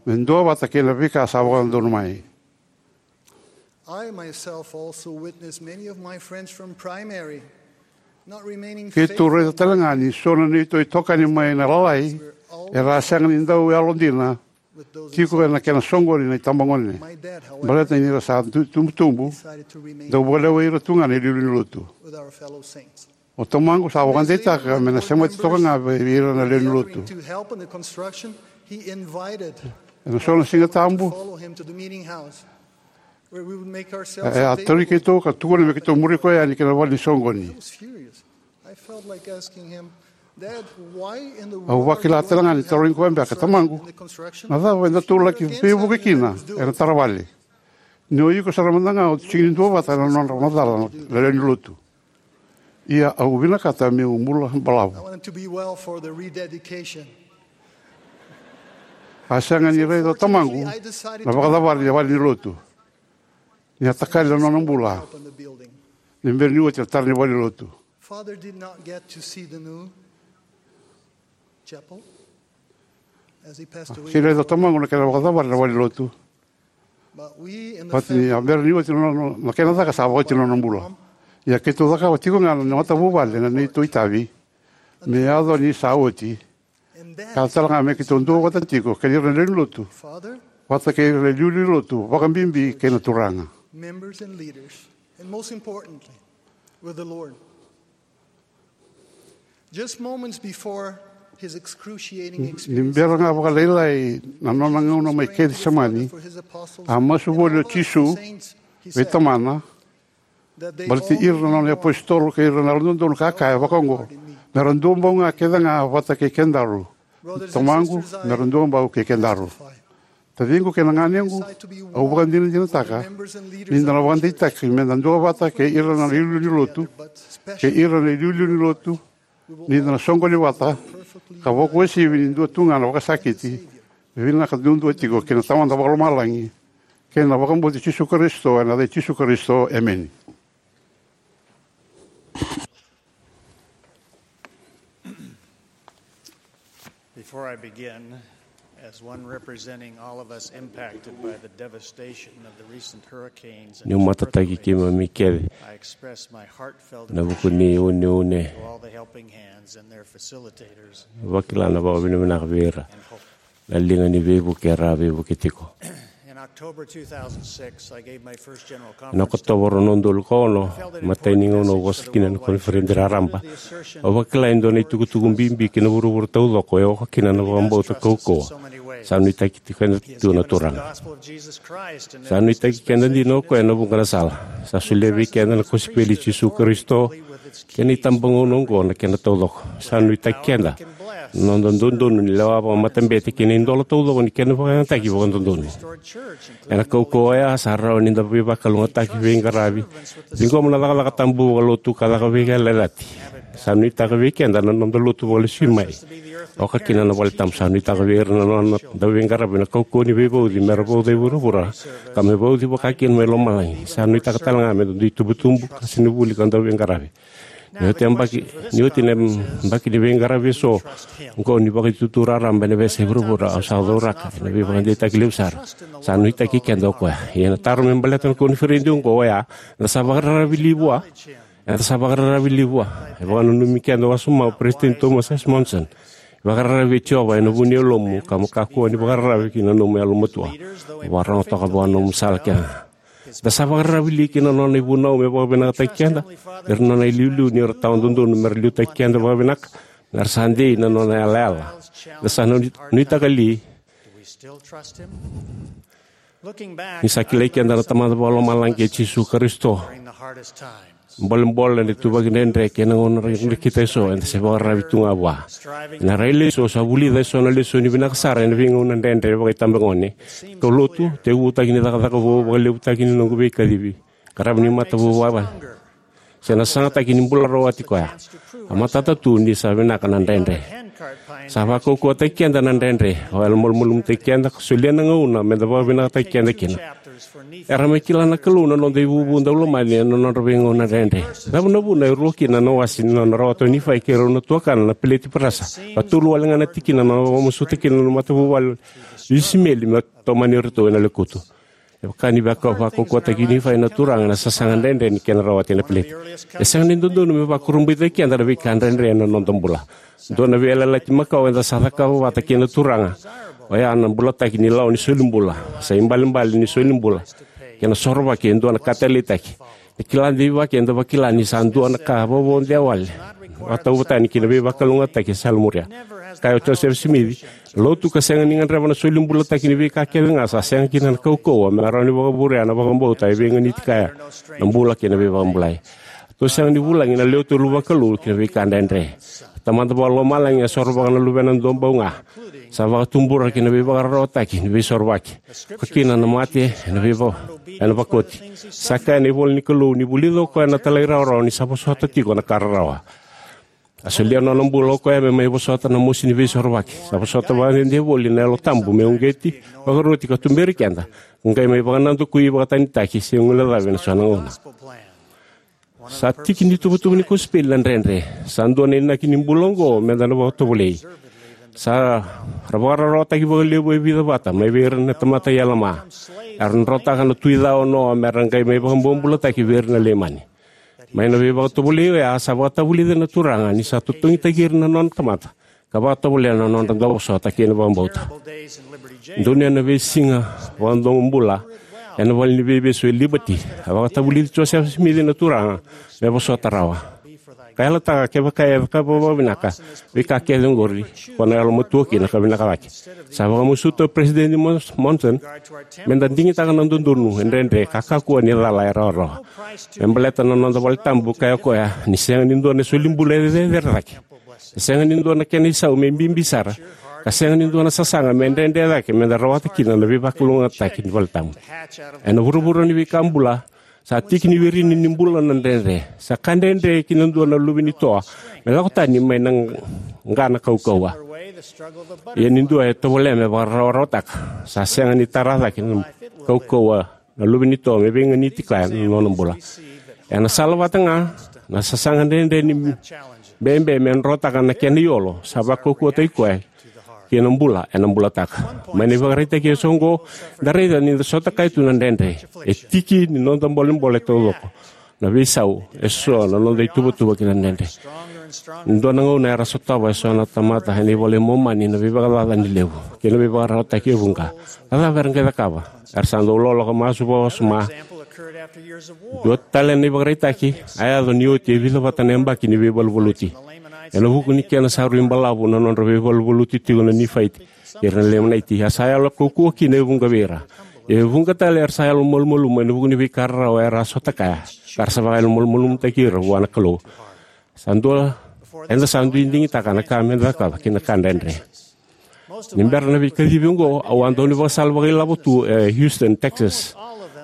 me duavata kei na veika sa vakadodonu mai. I myself also witnessed many of my friends from primary not remaining Keitou raica tale ga ni so na neitou itokani mai na lalai era a sega ni dau yalodina tiko ena kena soqoni na itabagone. Baleta ni ra sa tu- tubutubu, dau vakalewai ira tu ga na iliuliu ni lotu. O tamaqu sa vakadeitaka me na semati toka ga vei ira na lewe ni lotu. Ena so na Siga Tabu, e a tauri keitou ka tukuna me keitou muri koya yani ki na vale ni soqoni. Au vakila tale ga ni tarogi koya beka, tamaqu, na cava eda tou laki veivuke kina ena taravale? Ni o iko sara mada ga o sega ni duavata na nodra macala na lewe ni lotu. Ia au vinakata meu bula balavu. A sega ni raica o tamaqu na vakacavari ni vale ni lotu ni a takali na nona bula ni bera ni oti na tara ni vale ni lotu. Father did not get to see the new chapel as he passed away. Sega ni raica o tamaqu na kena vakacavari na vale ni lotu. But we in the But ni family a bera ni oti na nona na kena caka sa vakaoti na nona bula. Ia keitou cakava tiko ga na matavuvale na neitou itavi me yaco ni sa oti. Ka tale ga me keitou duavata tiko kei ira na lewe ni lotu vata kei ira na iliuliu ni lotu, vakabibi kei na Turaga. Members and leaders, and most importantly, with the Lord. Just moments before his excruciating Ni experience, bera ga vakalailai na nona gauna mai Kecisemani, a masu voli o Jisu vei Tamana baleti ira na nona iapositolo kei ira na yalododonu ka kaya vakaoqo, me ra duabau ga kece ga vata kei kedaru. Tamaqu, me ra duabau kei kedaru. Taciqu kei na ganequ, au vakadinadinataka ni da na vakadeitaki me da duavata kei ira na iliuliu ni lotu, kei ira na iliuliu ni lotu, ni da na soqoni vata ka vakuwasivi ni dua tu ga na vakasakiti. Vinaka duadua tiko kei na Tamada Vakalomalagi kei na vakabauti Jisu Karisito, ena yaca i Jisu Karisito, emeni. Before I begin, as one representing all of us impacted by the devastation of the recent hurricanes and Niu matataki keimami kece I express my heartfelt na vuku ni uneune, to all the helping hands and their facilitators. Vakila na vakavinavinaka vei ira na liga ni veivuke era a veivuke tiko. In October two thousand six, I gave my first general conference. Na Okotova rua na udolu ka ono, matai ni gauna au vosa kina na koniferedi raraba, au vakila e dua na itukutuku bibi ki na vuravura taucoko e oka kina na vakabauta kaukauwa. Sa nuitaki tiko keda tu na Turaga. Sa nuitaki keda dina o koya ena vuqa na sala. Sa solia vei keda na kosipeli i Jisu Karisito kei na itabagauna oqo na kena taucoko. Sa nuitaki keda na noda dodonu ni lewa vakamatabete kei na idola taucoko ni kena vakayagataki vakadodonu. Ena kaukauwa oya sa rawa ni da veivakalougatataki, veiqaravi, ciqoma na cakacaka tabu vakalotu ka caka veiyalayalati. Sa nuitaka vei keda na noda lotu vakalesui mai, oka kina na valetabu. Sa nuitaka vei ira na nona dauveiqaravi na kaukauwa ni veivauci me ra vauca e vuravura ka me vauci vaka kina mai lomalagi. Sa nuitaka tale ga me da dui tubutubu ka sega ni vuli ka dauveiqaravi. Ni oti na yabaki, ni oti na yabaki ni veiqaravi eso oqo ni Vakaitutu Raraba ena veiyasai vuravura, au sa cauraka ena veivakadeitaki levu sara. Sa nuitaki keda o koya. Ia na taro me baleta na koniferedi oqo oya, eda sa vakararavi li vua? Eda sa vakararavi li vua? E vakananumi keda wasoma o Peresitedi Thomas S. Monson: Vakararavi vei Jiova ena vu ni yalomu, ka mo kakua ni vakararavi ki na nomu yalomatua. Vakarorogo toka vua na nomu sala kecega. Eda sa vakararavi li ki na nona ivunau me vakavinakataki keda? Ira na nona iliuliu ni ra tawa dodonu me ra liutaki keda vakavinaka, me ra sa dei na nona yalayala. Eda sa nui- nuitaka li ni sa kilai keda na Tamada Vakalomalagi kei Jisu Karisito? Bolebole, na ituvaki dredre kei na gauna dredre, kita eso eda se vakararavi tu ga vua. Ena railesu au sa vulica eso na lesoni vinaka sara ena veigauna dredre vakaitabagone. Kaulotu, tekivutaki ni cakacaka vou, vakalevutaki ni noqu veikacivi, qaravi ni matavuvale, se na sasagataki ni bula rawati koya. A matata tu ni sa vinaka na dredre. Sa vakaukauwataki keda na dredre. O yalomalumalumutaki keda ka solia na gauna meda vakavinakataki keda kina. Era mai kila na Kalou na noda ivuvu daulomani ena nodra veigauna dredre. Cava na vuna e rua kina na wase ni nona rawata o Nifai kei rau na tuakana na peleti parasa, ka tolu wale ga na tikina na nona vakamasuta kina na matavuvale o Isimeli me tomani iratou ena lekutu? E vaka ni vaka- vakaukauwataki Nifai na Turaga ena sasaga dredre ni kena rawati na peleti. E sega ni dodonu me vakurabuitaki keda na veika dredre ena noda bula. Dua na veiyalayalati makawa eda sa cakava vata kei na Turaga, oya na bulataki ni lawa ni solibula. Sa ibalebale ni solibula kei na sorovaki e dua na ka taleitaki. E kila deivaki eda vakila ni sa dua na ka vovou de wale, vakatauvatani ki na veivakalougatataki e salamuria. Kaya o Josefa Simici: Lotu ka sega ni gadreva na solibulataki ni veika kece ga sa sega kina na kaukauwa me rawa ni vakavurea na vakabauta e veiganiti kaya na bula kei na veivakabulai. Tou sega ni vulagi na lewe tolu vakalou ki na veika dredre. Tamada Vakalomalagi e sorovaka na Luvena duabau ga. Sa vakatubura ki na veivakararawataki ni veisorovaki, ka kina na mate ena veiva- ena vakoti. Sa kaya na ivola ni Kalou ni vulica o koya na talairawarawa ni sa vosota tiko na ka rarawa. A solia nona bula o koya me mai vosota na mosi ni veisorovaki. Sa vosota vakadede voli na Yalo Tabu me uqeti, vakaroti ka tuberi keda, ka qai mai vakanadakui vakatanitaki se guilecavi ena so na gauna. Sa tiki ni tuvatuva ni kosipeli na dredre. Sa dua na inaki ni bula oqo meda na vakatovolei. Sa ra vakararawataki vakalevu e vica vata mai vei ira na tamata i Elama. Era drotaka na tui ca o Noa me ra qai mai vakabobulataki vei ira na Leimani. Mai na veivakatovolei oya sa vakatavulica na Turaga ni sa totogitaki ira na nona tamata ka vakatovolea na nodra dauvosota kei na vakabauta. Donuya na veisiga vakadomo bula ena vale ni veivesu e Liberty, a vakatavulici Josefa Simici na Turaga me vosota rawa. Ka yalataka kevaka e cakava vakavinaka veika kece oqori, ko na yalomatua kina ka vinaka cake. Sa vakamasuta o Peresitedi Mons- Monson meda digitaka na dodonu e dredre ka kakua ni cala e rawarawa. Me baleta na noda vale tabu, kaya o koya ni sega ni dua na solibula e cecere cake. E sega ni dua na kena isau me bibi sara, ka sega ni dua na sasaga me dredre cake meda rawata kina na veivakalougatataki ni vale tabu. Ena vuravura ni veika bula, sa tiki ni wirini ni bula na dredre. Sa ka dredre ki na dua na luve ni toa me lako tani mai na qa na kaukauwa. Ia ni dua e tovolea me vakarawarawataka, sa sega ni tara cake na kaukauwa na luve ni toa me veiganiti kaya na nona bula. Ena sala vata ga, na sasaga dredre ni bebe me drotaka na kena iyolo sa vakaukauwataki koya kei na bula ena bulataka. Mai na ivakaraitaki eso oqo, da raica ni da sota kaya tu na dredre. E tiki ni noda bolebole taucoko na veisau eso na noda ituvatuva ki na dredre. Dua na gauna era sotava eso na tamata ena iVola i Momani na veivakacacani levu kei na veivakararawataki e vuqa. A cava era qai cakava? Era sa dau loloka masu vakawasoma. Dua tale na ivakaraitaki a yaco ni oti e vica vata na yabaki ni veivaluvaluti. Ena vuku ni kena sa rui balavu na nodra veivaluvaluti tiko na Nifaiti kei ira na Leimanaiti, a sa yalo kaukauwa kina e vuqa vei ira. E vuqa tale era sa yalomalumalumu ena vuku ni veika rarawa era a sota kaya, ka ra sa vakayalomalumalumutaki ira vua na Kalou. Sa dua, eda sa dui digitaka na ka meda cakava kei na ka dredre. Ni bera na veikacivi oqo, au a dau ni vakasala vakailavo tu e Houston, Texas.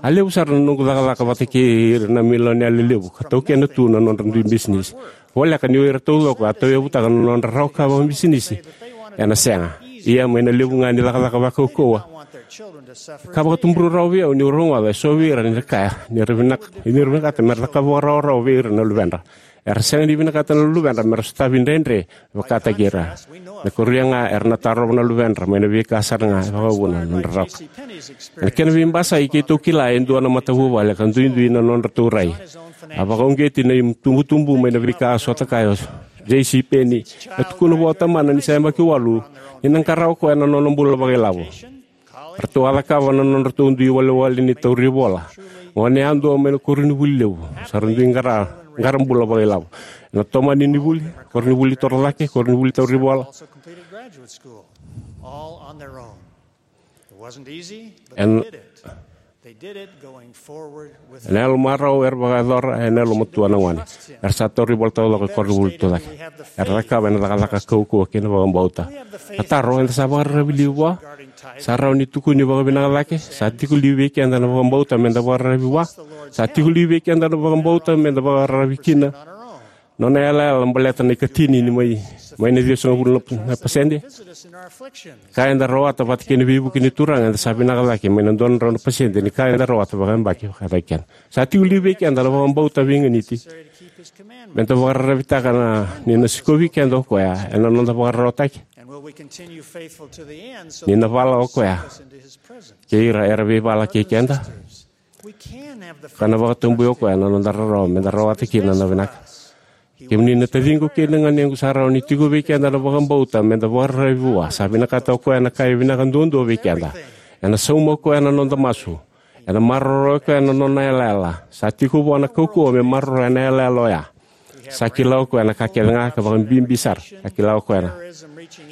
A levu sara na noqu cakacaka vata kei ira na milionea lelevu ka taukena tu na nodra dui bisinisi. Voleka ni o ira taucoko a tauyavutaka na nodra rawa ka vakabisinisi ena sega. Ia mai na levu ga ni cakacaka vakaukauwa ka vakatubura rawa vei au niu rogoca eso vei ira ni ra kaya ni ra vinaka, ni ra vinakata me ra cakava vakarawarawa vei ira na luvedra. Era sega ni vinakata na luvedra me ra sotavi dredre vakataki ira. Me koria ga era na tarova na luvedra mai na veika sara ga e vakavuna na nodra rawa. Ena kena veibasai, keitou kila e dua na matavuvale ka duidui na nodratou rai. A vakauqeti na itubutubu mai na veika a sota kaya o J C Penney, e tukuna vua o tamana ni sa yabaki walu ni na qara o koya na nona bula vakailavo. Ratou a cakava na nodratou dui walewale ni tauri vola. Gone yadua mai na koronivuli levu, sa ra dui qara, qara bula vakailavo. Ena tomani ni vuli, koronivuli torocake, koronivuli tauri vola. All on their own. It wasn't easy, but they did it. They did it going forward with faith. Ena yalo marau era vakayacora, ena yalo matua na gone. Era sa tauri vola taucoko e koronivuli tucake. Era cakava ena cakacaka kaukauwa kei na vakabauta. Na taro, eda sa vakararavi liu vua? Sa rawa ni tukuni vakavinaka cake? Sa tiko liu vei keda na vakabauta meda vakararavi vua? Sa tiko liu vei keda na vakabauta meda vakararavi kina? Nona yalayala baleta na ikatini ni mai, mai na ciwasagavulu na, na pasede. Ka eda rawata vata kei na veivuke ni Turaga, eda sa vinaka cake mai na dua na drau na pasede ni ka eda rawata vakayabaki vakataki keda. Sa tiko liu vei keda na vakabauta veiganiti meda vakararavitaka na, ni na sikovi keda o koya ena noda vakararawataki. Ni na vala o koya kei ira era veivala kei keda. Ka na vakatabui o koya na noda rarawa meda rawata kina na vinaka. Kemuni na taciqu kei na ganequ, sa rawa ni tiko vei keda na vakabauta meda vakararavi vua. Sa vinakata o koya na ka e vinaka duadua vei keda. Ena sauma o koya na noda masu. Ena maroroya o koya na nona yalayala. Sa tiko vua na kaukauwa me maroroya na yalayala oya. Sa kila o koya na ka kece ga, ka vakabibi sara. Sa kila o koya na,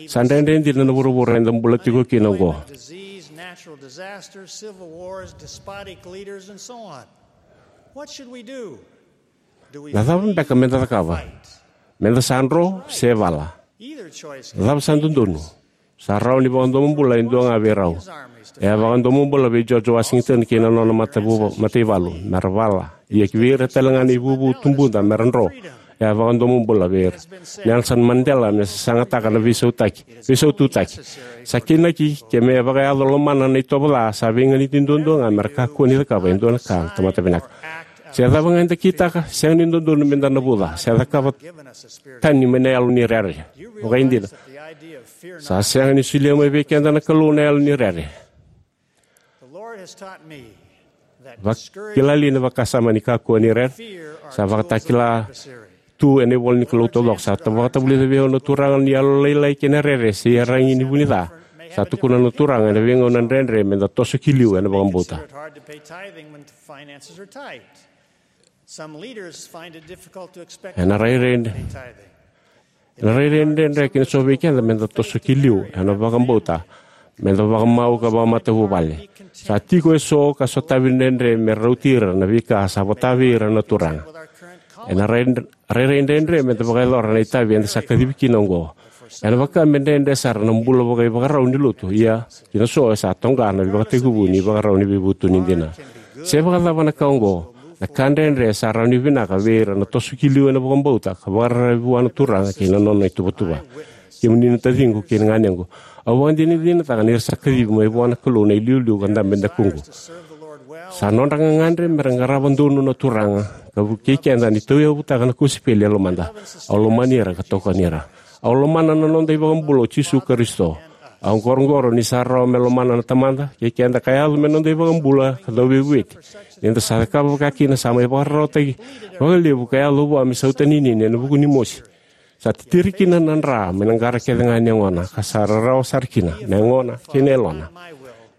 sa dredre dina na vuravura eda bula tiko kina oqo. Disease, natural disasters, civil wars, despotic leaders, and so on. What should we do? Do we Na cava flee? Beka meda cakava? Fight? Meda sa dro se vala? Either choice can be dangerous. Cava sa dodonu? Sa rawa ni vakadomobula e dua ga vei rau. E a vakadomobula vei George Washington kei na nona matavuva, mataivalu, mera vala. Ia ki vei ira tale ga na ivuvu tubuda mera dro, e a vakadomobula vei ira. Nelson Mandela me sasagataka na veisautaki, veisaututaki. Sa kainaki ke me vakayaco lomana na itovo ca, sa veiganiti duadua ga mera kakua ni cakava e dua na ka na tamata vinaka. Se cava ga eda kitaka, sega ni dodonu meda navuca se cakava tani mai na yalo ni rere. Vakaidina, sa sega ni solia mai vei keda na Kalou na yalo ni rere. Vakilai na vakasama ni kakua ni rere sa vakatakila tu ena ivola ni Kalou taucoko. Sa ta- vakatavulica vei au na Turaga ni yalo lailai kei na rere se iyaragi ni vu ni ca. Sa tukuna na Turaga ena veigauna dredre meda toso ki liu ena vakabauta. Finances are tight. Some leaders find it difficult to expect Ena rairai, tithing. Ena rairai dredre kina so vei keda meda toso ki liu ena vakabauta, meda vakamau ka vakamatavuvale. Sa tiko eso ka sotavi dredre me rauti ira na veika sa vota vei ira na Turaga. Ena rai- rairai dredre meda vakayacora na itavi eda sa kacivi kina oqo. Ena vaka me dredre sara na bula vakaivakarau ni lotu, ia kina so e sa toqa na ivakatekivu ni ivakarau ni veivutuni dina. Se vakacava na ka oqo, na ka dredre sa rawa ni vinaka vei ira na toso ki liu ena vakabauta ka vakararavi vua na Turaga kei na nona ituvatuva. Kemuni na taciqu kei na ganequ, au vakadinadinataka ni ra sa kacivi mai vua na Kalou na iliuliu ka dabe dakuqu. Sa nodra gagadre mera qarava donu na Turaga ka vukei keda ni tauyavutaka na kosipeli e lomada. Au lomani ira ka tokoni ira. Au lomana na noda iVakabula o Jisu Karisito. Au qoroqoro ni sa rawa me lomana na Tamada kei keda ka yaco me noda iVakabula ka Dauveivueti. Ni da sa cakava vaka kina, sa mai vakararawataki vakalevu ka yaco vua me sautaninini ena vuku ni mosi. Sa titiri kina na dra mai na qara kece ga ni yagona, ka sa rarawa sara kina na yagona kei na yalona.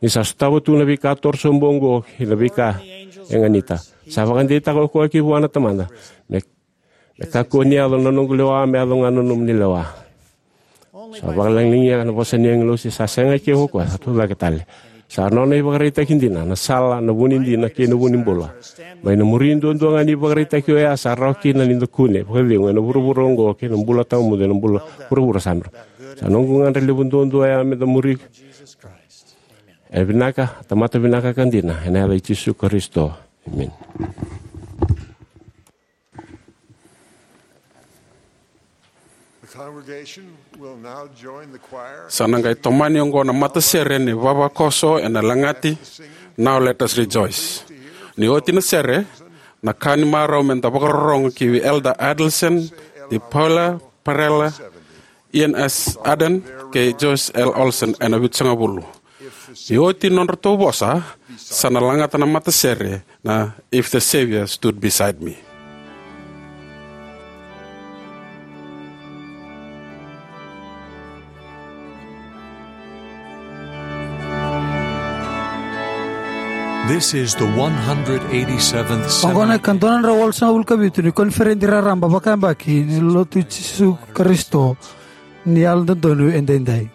Ni sa sotava tu na veika torosobu oqo kei na veika e ganita, sa vakadeitaka o koya ki vua na Tamada, me, me kakua ni yaco na noqu lewa, me yaco ga na nomuni lewa. Sa vakalagilagia na vosa ni agilosi, sa sega e keu o koya, sa tucake tale. Sa nona ivakaraitaki dina na sala, na vu ni dina kei na vu ni bula. Mai na muri duadua ga ni ivakaraitaki oya, sa rawa kina ni da kune vakacegu ena vuravura oqo kei na bula tawamudu ena bula vuravura sa bera. Sa noqu gadre levu duadua oya me da muri. E vinaka, tamata vinaka ka dina, ena yaca i Jisu Karisito. Emeni. The congregation will now join the choir. Sa na qai tomani oqo na matasere ni vavakoso ena lagati Now Let Us Rejoice. Ni oti na sere, Na ka ni marau me da vakarorogo ki vei Elder Adelson de Paula Parrella, Ian S. Ardern, kei Joyce L. Olson ena Vitusagavulu. Ni oti nodratou vosa, sa na lagata na matasere na If the Savior Stood Beside Me. This is the one hundred eighty-seventh Oqo na Seminar. Ikadua na drau walusagavulu ka vitu ni koniferedi raraba vakayabaki ni Lotu i Jisu Karisito ni Yalododonu Edaidai.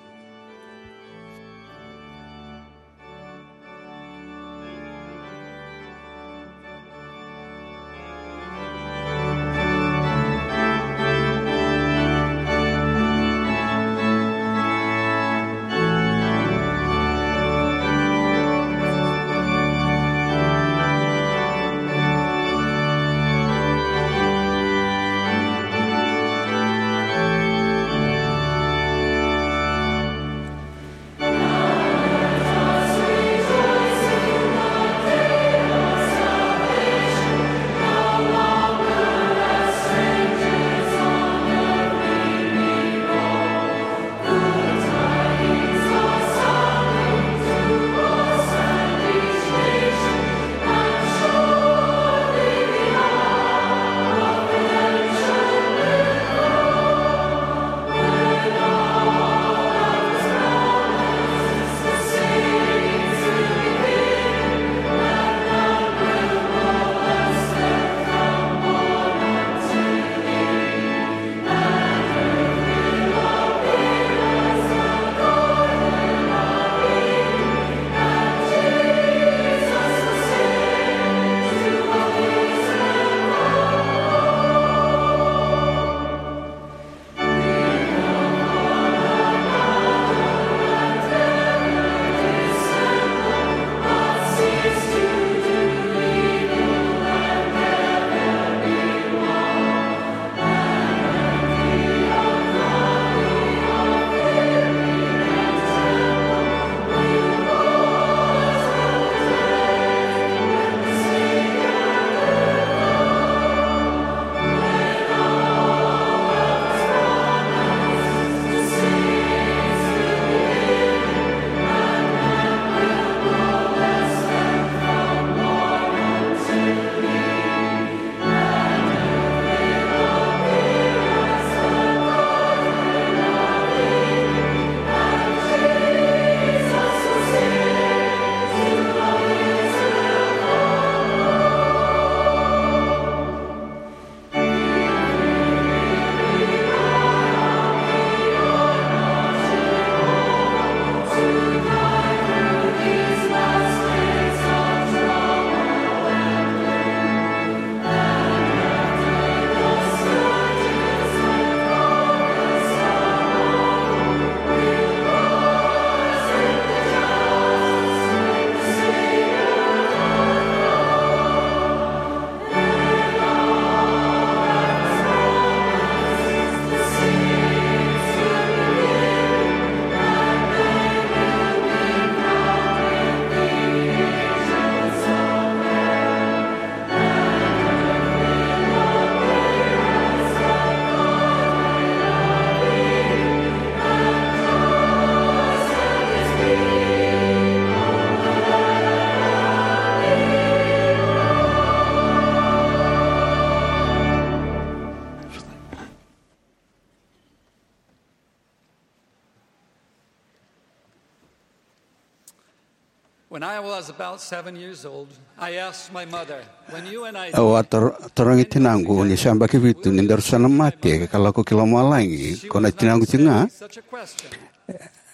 When I was about seven years old, I asked my mother, "When you and I..." Au a tar-, tarogi tinaqu ni sa yabaki vitu ni daru sa na mate ka lako ki lomalagi, ko na tinaqu tiko ga. Such a question.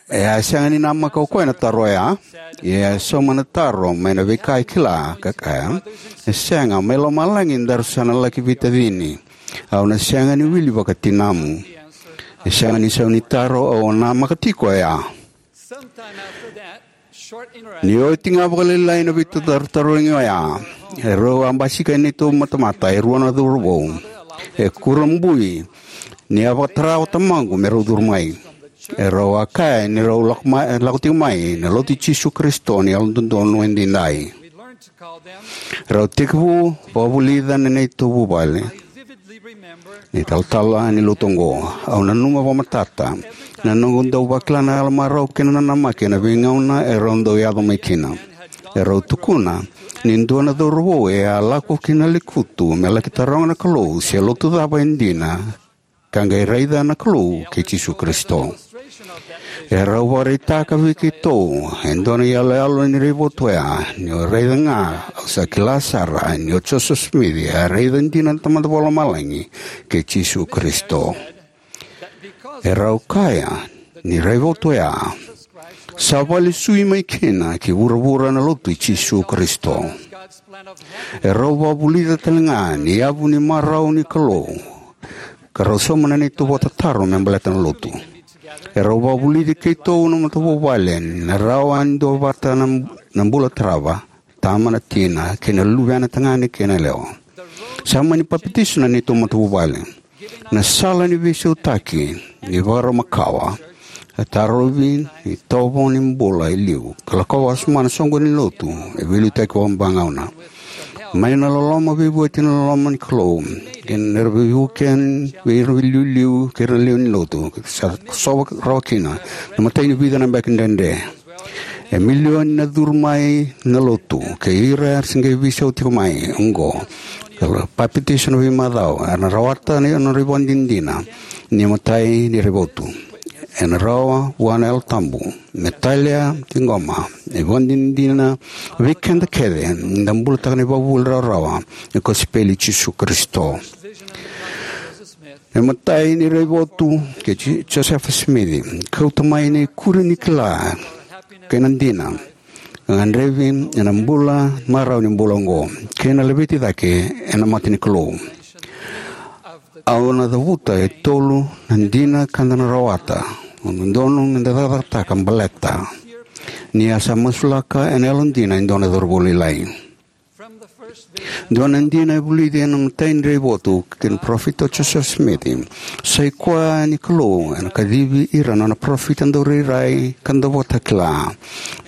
E a sega ni namaka o koya na taro oya. Ia e sauma na taro mai na veika e kila, ka kaya, "E sega, mai lomalagi daru sa na laki veitacini. Au na sega ni wili vakatinamu." E sega ni sau ni taro, au namaka tiko oya. Sometime after that, short interaction. Ni oti ga vakalailai na veitarotarogi oya, e rau a basika e neitou matamata e rua na cauravou. E kurabui ni a vakatara o tamaqu me rau curu mai. E rau a kaya ni rau lako mai, lako tiko mai na Lotu i Jisu Karisito ni Yalododonu Edaidai. Rau tekivu vakavulica na neitou vuvale na italatala ni lotu oqo. Au nanuma vakamatata na noqu dau vakila na yalomarau kei na nanamaki ena veigauna e rau dau yaco mai kina. E rau tukuna ni dua na cauravou e a lako ki na lekutu me laki taroga na Kalou se lotu cava e dina, ka qai raica na Kalou kei Jisu Karisito. E rau vakaraitaka vei keitou e dua na iyaloyalo ni raivotu oya, ni o raica ga, au sa kila sara ni o Joseph Smith e a raica dina na Tamada Vakalomalagi kei Jisu Karisito. E rau kaya ni raivotu oya sa vakalesui mai kina ki vuravura na lotu i Jisu Karisito. E rau vakavulica tale ga ni yavu ni marau ni Kalou, ka rau sauma na neitou vakatataro me baleta na lotu. E rau vakavulici keitou na matavuvale ni na rawa ni duavata na, na bula tarava, tama, na tina, kei na luvena tagane kei na yalewa. Sa mani papitaiso na neitou matavuvale. Na sala ni veisautaki ni vakarau makawa, a tarovi ni tovo ni bula e liu, ka lakova wasoma na soqoni ni lotu e veiliutaki vakavagauna. Mai na loloma veivueti na loloma ni Kalou, kei na veivuke vei ira na iliuliu kei ira na lewe ni lotu, sa sova rawa kina na matai ni vica na beka dredre. E milioni na curu mai na lotu, kei ira era se qai veisau tiko mai oqo, ka papitaiso na veimacawa, era na rawata na nodra ivakadinadina ni matai ni raivotu. Ena rawa vua na Yalo Tabu me talia, ciqoma na ivakadinadina vei keda kece ni da bulataka na ivakavuvuli rawarawa ni kosipeli i Jisu Karisito. Na imatai ni raivotu kei Ji-, Josefa Simici, kauta mai na ikuri ni kila kei na dina, gadrevi ena bula marau ni bula oqo, kei na laveti cake ena mata ni Kalou. Au na cavuta e tolu na dina ka da na rawata, dodonu me da cakacakataka baleta ni a sa masulaka ena yalodina e dua na cauravou lailai. Dua na dina e vulici ena imatai ni raivotu kei na parofita o Joseph Smith, sa i koya ni Kalou ena kacivi ira na nona parofita daurairai ka dauvakatakila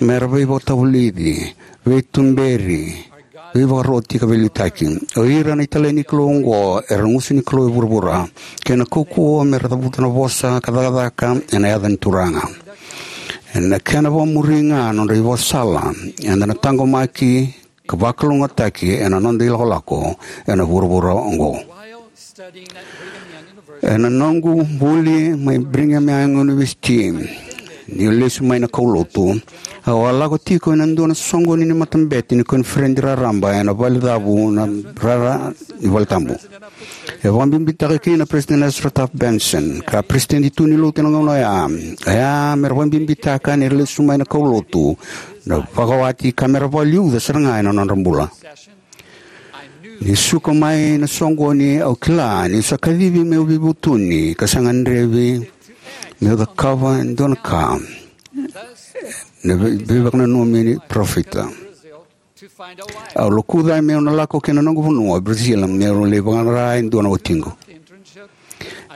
me ra veivakatavulici, veituberi, veivakaroti ka veiliutaki. O ira na italai ni Kalou oqo era gusu ni Kalou e vuravura, kei na kaukauwa me ra cavuta na vosa ka cakacaka ena yaca ni Turaga. Ena kena vakamuri ga na nodra ivakasala, eda na taqomaki ka vakalougatataki ena noda ilakolako ena vuravura oqo. Ena noqu vuli mai Brigham Young University, niu lesu mai na kaulotu, au a lako tiko ena dua na soqoni ni matabete ni koniferedi raraba ena valecavu na rara ni valetabu. E vakabibitaka kina na President Ezra Taft Benson, ka peresitedi tu ni lotu ena gauna oya, oya me ra vakabibitaka ni ra lesu mai na kaulotu na vakawati ka me ra vakaliuca sara ga ena nodra bula. Ni suka mai na soqoni, au kila niu sa kacivi meu veivutuni ka sa gadrevi meu cakava e dua na ka na vei-, veivakananumi ni parofita. Au lokuca meu na lako ki na noqu vanua o Brazil meu lai vaqara e dua na watiqu.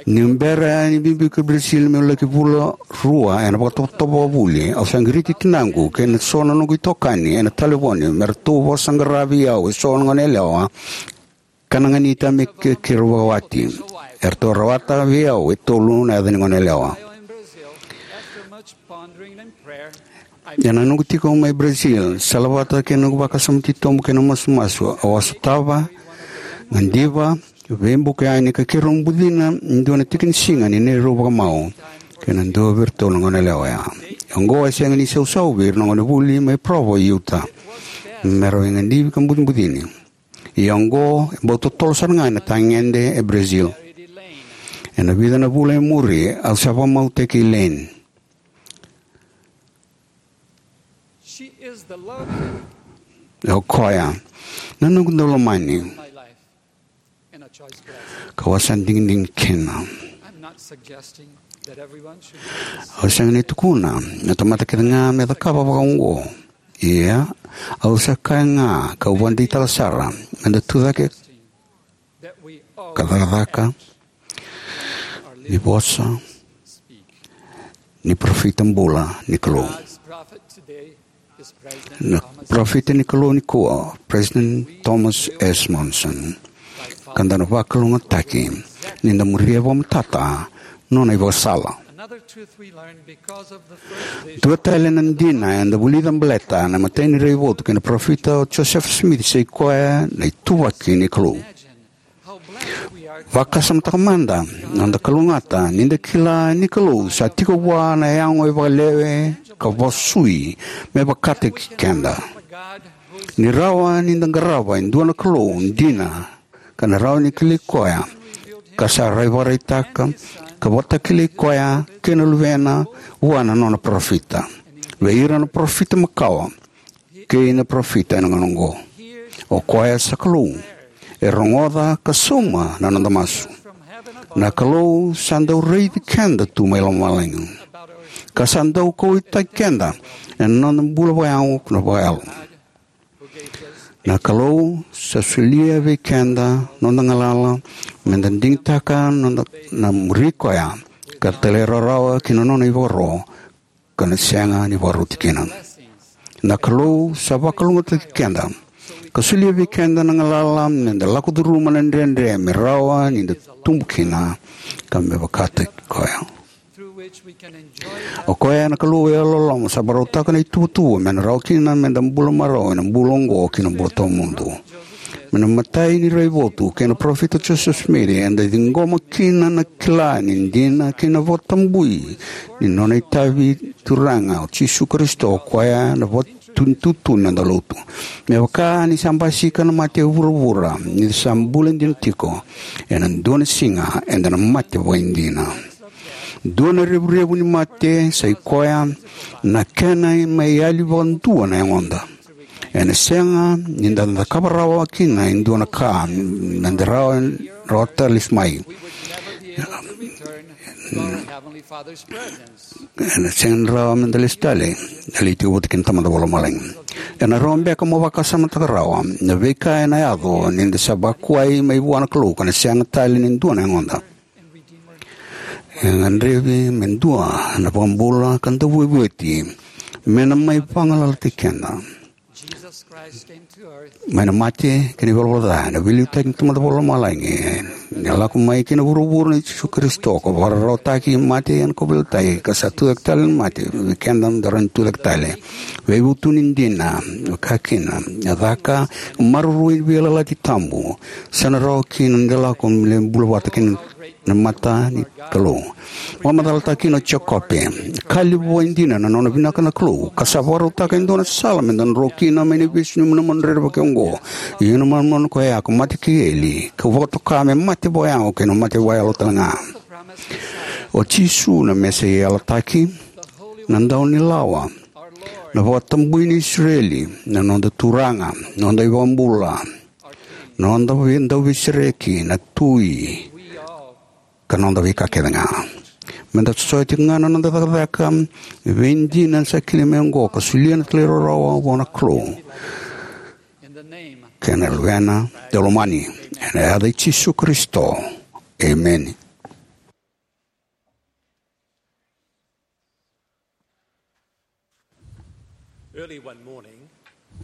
Niu bera ni biubiu ki Brazil meu laki vula rua ena vakatovotovo vakavuli, au sa qiriti tinaqu kei na so na noqu itokani ena talevoni me ratou vakasaqara vei au eso na goneyalewa ka na ganita me ke-, keirau vakawati. Eratou rawata vei au e tolu na yaca ni goneyalewa. Ena noqu tiko mai Brazil, salavata kei na noqu vakasama titobu kei na masumasu, au a sotava, gadiva, veibuka yani ka keirau bucina e dua na tikinisiga ni neirau vakamau kei na dua vei iratou na goneyalewa oya. Oqo e sega ni sausau vei ira na gonevuli mai Provo, Utah, me ra veigadrevi ka bucibucini. Ia oqo e bau totolo sara ga ena tagede e Brazil. Ena vica na vula e muri, au sa vakamautaki Elaine. O koya na noqu daulomani, kau a sa digidigi kina. Au sega ni tukuna na tamata kece ga me cakava vakaoqo. Ia, au sa kaya ga, kau vakadeitaka sara, me da tucake ka cakacaka ni vosa ni parofita bula ni Kalou. Na parofita ni Kalou nikua, President Thomas S. Monson. Ka da na vakalougatataki ni da muria vakamatata nona ivakasala. Dua tale na dina eda vulica baleta na imatai ni raivotu kei na parofita o Joseph Smith, sa i koya na ituvaki ni Kalou. Vakasamataka mada na noda kalougata ni da kila ni Kalou sa tiko vua na yago e vakalewe ka vakasui me vakataki keda. Ni rawa ni da qarava e dua na Kalou dina, ka na rawa ni kilai koya, ka sa rai vakaraitaka ka vakatakilai koya kei na luvena vua na nona parofita, vei ira na parofita makawa kei na parofita ena gauna oqo. O koya sa Kalou, e rogoca ka sauma na noda masu. Na Kalou sa dau raici keda tu mai lomalagi, ka sa dau kauwaitaki keda ena noda bula vakayago na vakayalo. Na Kalou sa solia vei keda noda galala me da digitaka noda na muri koya, ka talairawarawa ki na nona ivakaro, ka na sega ni vakaroti kina. Na Kalou sa vakalougatataki keda ka solia vei keda na galala me da lako curuma na dredre me rawa ni da tubu kina, ka me vakataki koya. O koya na Kalou e yalololoma sa vakarautaka na ituvatuva me na rawa kina me da bula marau ena bula oqo kei na bula tawamudu. Mai na imatai ni raivotu kei na parofita Joseph Smith, eda ciqoma kina na kila ni dina kei na vakatabui ni nona itavi Turaga o Jisu Karisito, o koya na vakatututu ni noda lotu. Me vaka ni sa basika na mate e vuravura, ni sa bula dina tiko, ena dua na siga eda na mate vakaidina. Dua na revurevu ni mate sa i koya na kena mai yali vakadua na yagoda. Ena sega ni da cakava rawa kina e dua na ka me da rawa, rawa tale lesu mai. Ena sega ni rawa me da lesu tale, da lai tiko vata kei na Tamada Vakalomalagi. Ena rawa beka mo vakasamataka rawa na veika ena yaco ni da sa vakuai mai vua na Kalou ka na sega tale ni dua na yagoda. E gadrevi me dua na vakabula ka da vuavuati me na mai vagalalataki keda. Mai na mate kei na ivalavala ca, na veiliutaki ni Tamada Vakalomalagi, ni lako mai ki na vuravura nei Jisu Karisito, ka vakararawataki mate ena kauveilatai, ka sa tucake tale na mate vei keda me da rawa ni tucake tale. Veivutuni dina, ka kina, na caka, maroroi ni veiyalayalati tabu, sa na rawa kina ni da lako me bula vata kei na na mata ni Kalou. Vakamacalataka kina o Jekope, ka levu vakaidina na nona vinaka na Kalou, ka sa vakarautaka e dua na sala me da dro kina mai na ivesu ni manumanu rerevaki oqo. Ia na manumanu koya ko mate kei eli, ka vakatoka me mate vakayago kei na mate vakayalo talega. O Jisu na Mesaia yalataki, na Daunilawa, na vakatabui ni Isireli, na noda Turaga, noda iVakabula, noda vei-, dauveisereki, na Tui, ka noda veika kece ga. Me da sosoya tiko ga na noda cakacaka veidina sa kilai mai oqo, ka solia na talairawarawa vua na Kalou kei na Luvena daulomani, ena yaca i Jisu Karisito. Emeni. Early one morning,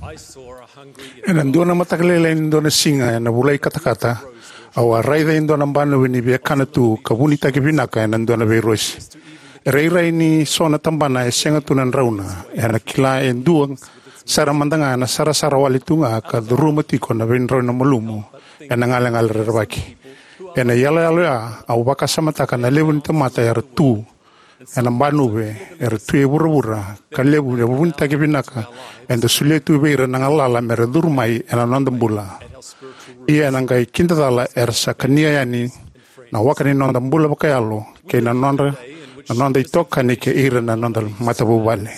I saw a hungry Ena dua na mataka lailai ni dua na siga ena vula i katakata, au a raica e dua na banuve ni via kana tu ka vunitaki vinaka ena dua na veirosi. E rairai ni so na tabana e sega tu na drauna, ena kila e dua sara mada ga na sarasara wale tu ga ka curuma tiko na veidrau na malumu ena galegale rerevaki. Ena iyaloyalo ya, au vakasamataka na levu ni tamata era tu ena banuve, era tu e vuravura, ka levu na vunitaki vinaka eda solia tu vei ira na galala me ra curu mai ena noda bula. Ia ena qai kidacala era sa kania yani na waka ni noda bula vakayalo kei na nodra, na noda itokani kei ira na noda matavuvale.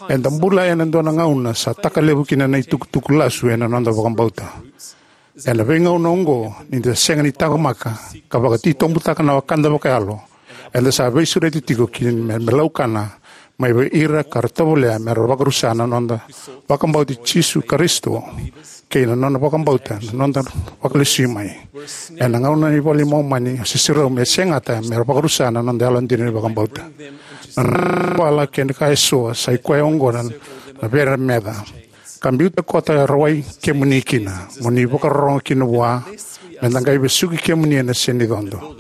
Eda bula ena dua na gauna sa taka levu kina na itukutuku lasu ena noda vakabauta. Ena veigauna oqo, ni da sega ni taqomaka ka vakatitobutaka na wekada vakayalo, eda sa veisureti tiko ki na me, me laukana mai vei ira ka ra tovolea me ra vakarusa na noda vakabauti Jisu Karisito kei na nona vakabauta na noda vakalesui mai. Ena gauna ni iVola i Momani, a sisirau me segata me ra vakarusa na noda yalodina ni vakabauta. Na noda vala kei na ka eso, sa i koya oqo na na vere meca, ka biuta koto e rawai kemuni kina, mo ni vakarorogo kina vua, me da qai vesuki kemuni ena senicodo.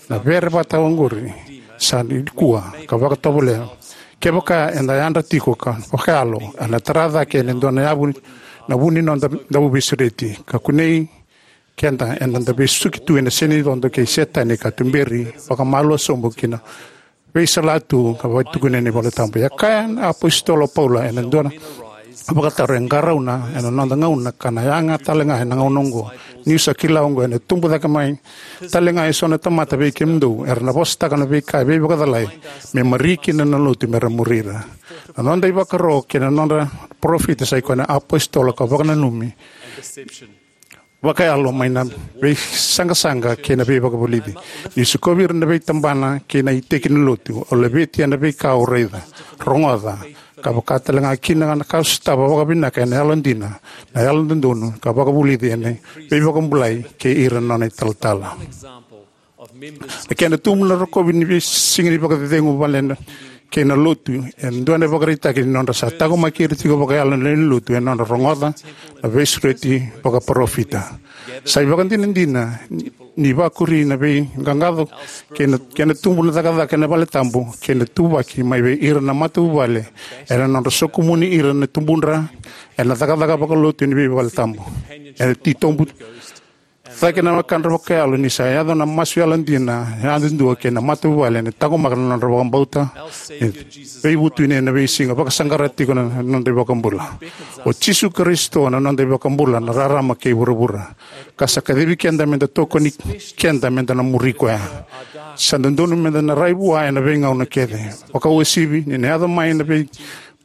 Na vere vata oqori sa nikua ka vakatovolea. Kevaka eda yadra tiko ka vakayalo, ena tara cake ena dua na yavu na vu ni noda dauveisureti, ka kunei keda ena da vesuki tu ena senicodo kei Setani ka tuberi vakamalua sobu ki na veisalatu ka vakatukuni ena iVola Tabu. E kaya na apositolo Paula ena dua na vakataro e qarauna ena noda gauna ka na yaga tale ga ena gauna oqo. Niu sa kila oqo ena tubu cake mai tale ga eso na tamata vei kemudou era na vosataka na veika e veivakacalai me mari kina na lotu me ra muri ira. Na noda ivakaro kei na nodra parofita sai koya na apositolo ka vakananumi vakayalo mai na veisaqasaqa kei na veivakavulici. Ni sikovi ira na veitabana kei na iteki ni lotu, o laveti ena veika o raica, rogoca, ka vaka tale ga kina na ka sotava vakavinaka ena yalodina, na yalododonu, ka vakavulici ena veivakabulai kei ira na nona italatala. Na kena tubu na rokovi ni veisiga ni vakacecegu vale na kei na lotu, e dua na ivakaraitaki ni nodra sa taqomaki ira tiko vakayalo na lewe ni lotu ena nodra rogoca na veisureti vakaparofita. Sa ivakadinadina ni vakuri na veiqaqaco kei na kena tubu na cakacaka ena vale tabu kei na tuvaki mai vei ira na matavuvale ena nodra sokumuni ira na tubudra ena cakacaka vakalotu ni veivale tabu. Ena titobu cake na wakadra vakayalo ni sa yaco na masu yalodina yadudua kei na matavuvale ena taqomaka na nodra vakabauta. E veivutuni ena veisiga vakasaqara tiko na noda iVakabula. O Jisu Karisito na noda iVakabula na rarama kei vuravura, ka sa kacivi keda meda tokoni keda meda na muri koya. Sa dodonu meda na rai vua ena veigauna kece. Vakauasivi ni na yaco mai na vei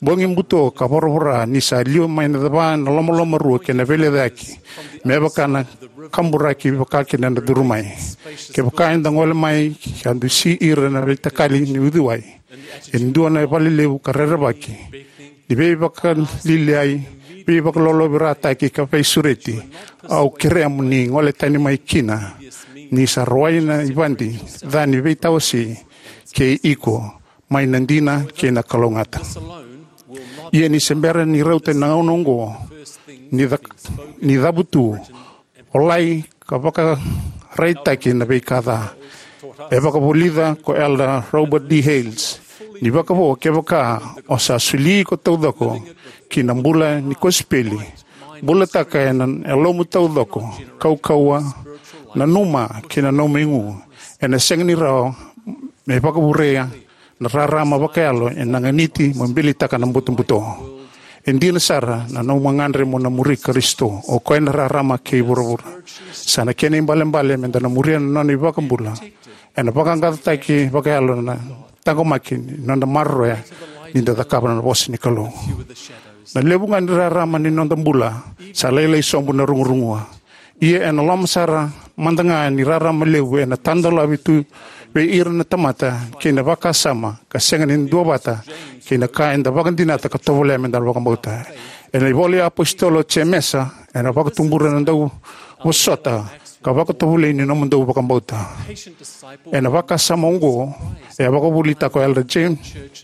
bogi buto ka voravora ni sa liwa mai na cava na lomalomarua kei na veilecayaki, me vaka na kaburaki vaka kina na curu mai. Kevaka eda gole mai ka dusi ira na veitakali ni uciwai e dua na valelevu ka rerevaki ni veivakaliliai, veivakalolovirataki ka veisureti, au kerea mo ni gole tani mai kina. Ni sa rawai na ivadi ca ni veitawasi kei iko mai na dina kei na kalougata. Ia ni se bera ni rauta na gauna oqo, ni, ca, ni cavutu, volai ka vakaraitaki na veika ca. E vakavulica ko Elder Robert D. Hales ni vakavo, kevaka o sa soli iko taucoko ki na bula ni kosipeli, bulataka ena yalomu taucoko, kaukauwa, nanuma kei na nomu igu, ena sega ni rawa me vakavurea na rarama vakayalo ena ganiti mo bilitaka na butobuto. E dina sara na nomu gagadre mo na muri Karisito, o koya na rarama kei vuravura. Sa na kena ibalebale meda na muria na nona iVakabula ena vaqaqacotaki vakayalo na taqomaki ni noda maroroya ni da cakava na vosa ni Kalou. Na levu ga ni rarama ni noda bula sa lailai sobu na rugurugua. Ia ena loma sara mada ga ni rarama levu ena tadolavi tu vei ira na tamata kei na vakasama ka sega ni duavata kei na ka eda vakadinata ka tovolea meda vakabauta. Ena ivola i apositolo Jemesa, ena vakatubura na dauvosota ka vakatovolei ni nomudou vakabauta. Ena vakasama oqo, e a vakavuvulitaka o Elder James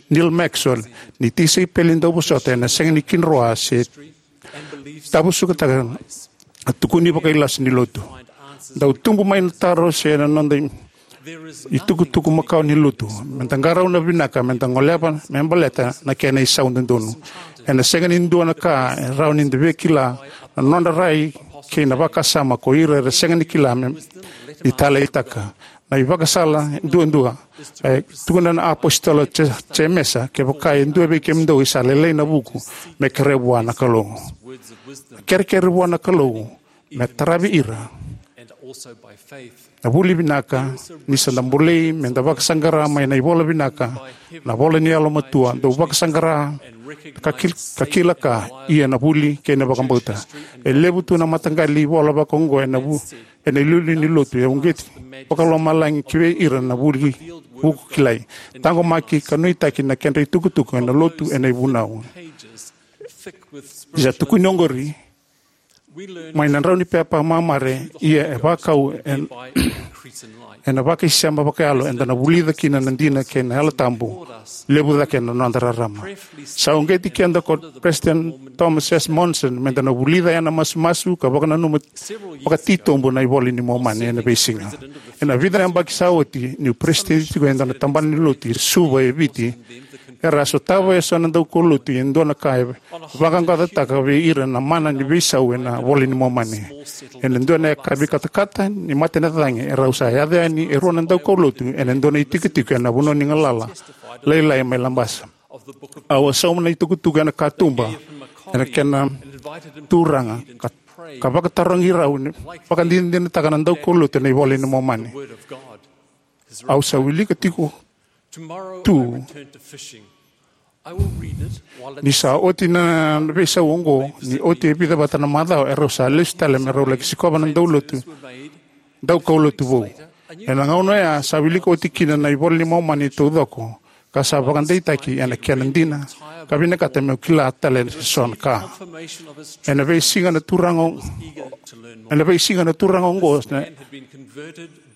Neal Maxwell ni tisaipeli dauvosota ena sega ni kidroa se tavusukataka na tukuni vakailasu ni lotu. Dau tubu mai na taro se na noda itukutuku makawa ni lotu. Meda qarauna vinaka, meda goleva me baleta na kena isau dodonu. Ena sega ni dua na ka e rawa ni da via kila na nodra rai kei na vakasama ko ira era sega ni kila me ni taleitaka. Na ivakasala duadua e tukuna na apositolo Je-, Jemesa, kevaka e dua vei kemudou e sa lailai na vuku, me kerea vua na Kalou. Kerekere vua na Kalou me taravi ira. Na vuli vinaka, ni sa da bolei meda vakasaqara mai na ivola vinaka, na vola ni yalomatua, dau vakasaqara ka, kil, ka kila ka, ia na vuli kei na vakabauta. E levu tu na mataqali ivola vakaoqo ena vu, ena iliuliu ni lotu, e uqeti vakalomalagi ki vei ira na vuli vuku kilai. Taqomaki ka nuitaki na kedra itukutuku ena lotu ena ivunau. Ia tukuni oqori, Mai na drau ni pepa mamare, ia e vakau en, ena vakaisema vakayalo eda na vulica kina na dina kei na Yalo Tabu levu cake ena noda rarama. Sa uqeti keda ko President Thomas S. Monson meda na vulica ena masumasu ka vakananuma vakatitobu na iVola ni Momani ena veisiga. Ena vica na yabaki sa oti, niu peresitedi tiko ena tabana ni lotu e Suva e Viti, era a sotava eso na daukaulotu e dua na ka e vaqaqacotaka vei ira na mana ni veisau ena iVola ni Momani. Ena dua na yakavi katakata ni mata ni cagi, erau sa yaco yani e rua na daukaulotu ena dua na itikotiko ena vanua ni galala lailai mai Labasa. Au a sauma na itukutuku ena katuba ena kena turaga ka, ka vakatarogi rau ni vakadinadinataka na daukaulotu ena iVola ni Momani. Au sa wilika tiko tu. Ni sa oti na veisau oqo, ni oti e vica vata na macawa, erau sa lesu tale me rau laki sikova na daulotu, daukaulotu vou. Ena gauna oya sa wilika oti kina na iVola ni Momani taucoko ka sa vakadeitaki ena kena dina, ka vinakata meu kila tale eso na ka. Ena veisiga na turaga, ena veisiga na turaga oqo na,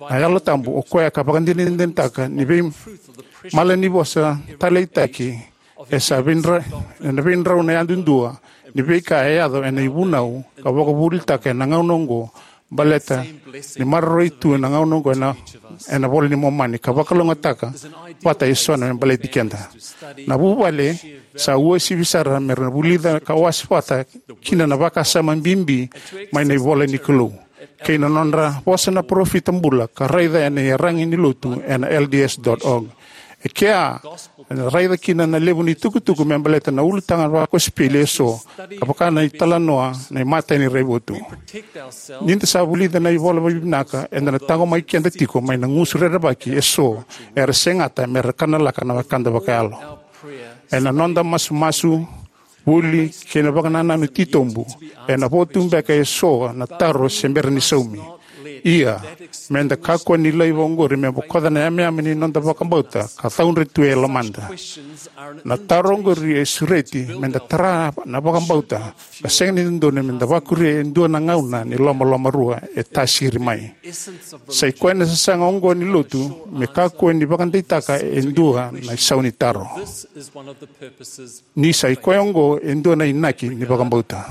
na Yalo Tabu, o koya ka vakadinadinataka ni veimalanivosa taleitaki e sa veidra, ena veidrau na yadudua ni veika e yaco ena ivunau, ka vakavuvulitaka ena gauna oqo baleta ni maroroi tu ena gauna oqo ena, ena iVola ni Momani, ka vakalougatataka vata eso na me baleti keda. Na vuvale sa uasivi sara mera vulica ka wase vata kina na vakasama bibi mai na ivola ni Kalou kei na nodra vosa na parofita bula, ka raica ena iyaragi ni lotu ena L D S dot org. E kea, ena raica kina na levu ni tukutuku me baleta na ulutaga vakosipeli eso, ka vaka na italanoa na imatai ni raivotu. Nida sa vulica na ivola vakavinaka, eda na taqomaki keda tiko mai na gusu rerevaki eso era segata mera kanalaka na wekada vakayalo. Ena noda masumasu, vuli, kei na vakanananu titobu, ena vo tu beka eso na taro se bera ni saumi. Ia, meda kakua ni laiva oqori me bokoca na yameyame ni noda vakabauta ka caudre tu e lomada. Na taro oqori e sureti meda tara na vakabauta, ka sega ni dodonu meda vakuria e dua na gauna ni lomalomarua e tasiri mai. Sa i koya na sasaga oqo ni lotu, me kakua ni vakadeitaka e dua na isau ni taro. Ni sa i koya oqo e dua na inaki ni vakabauta.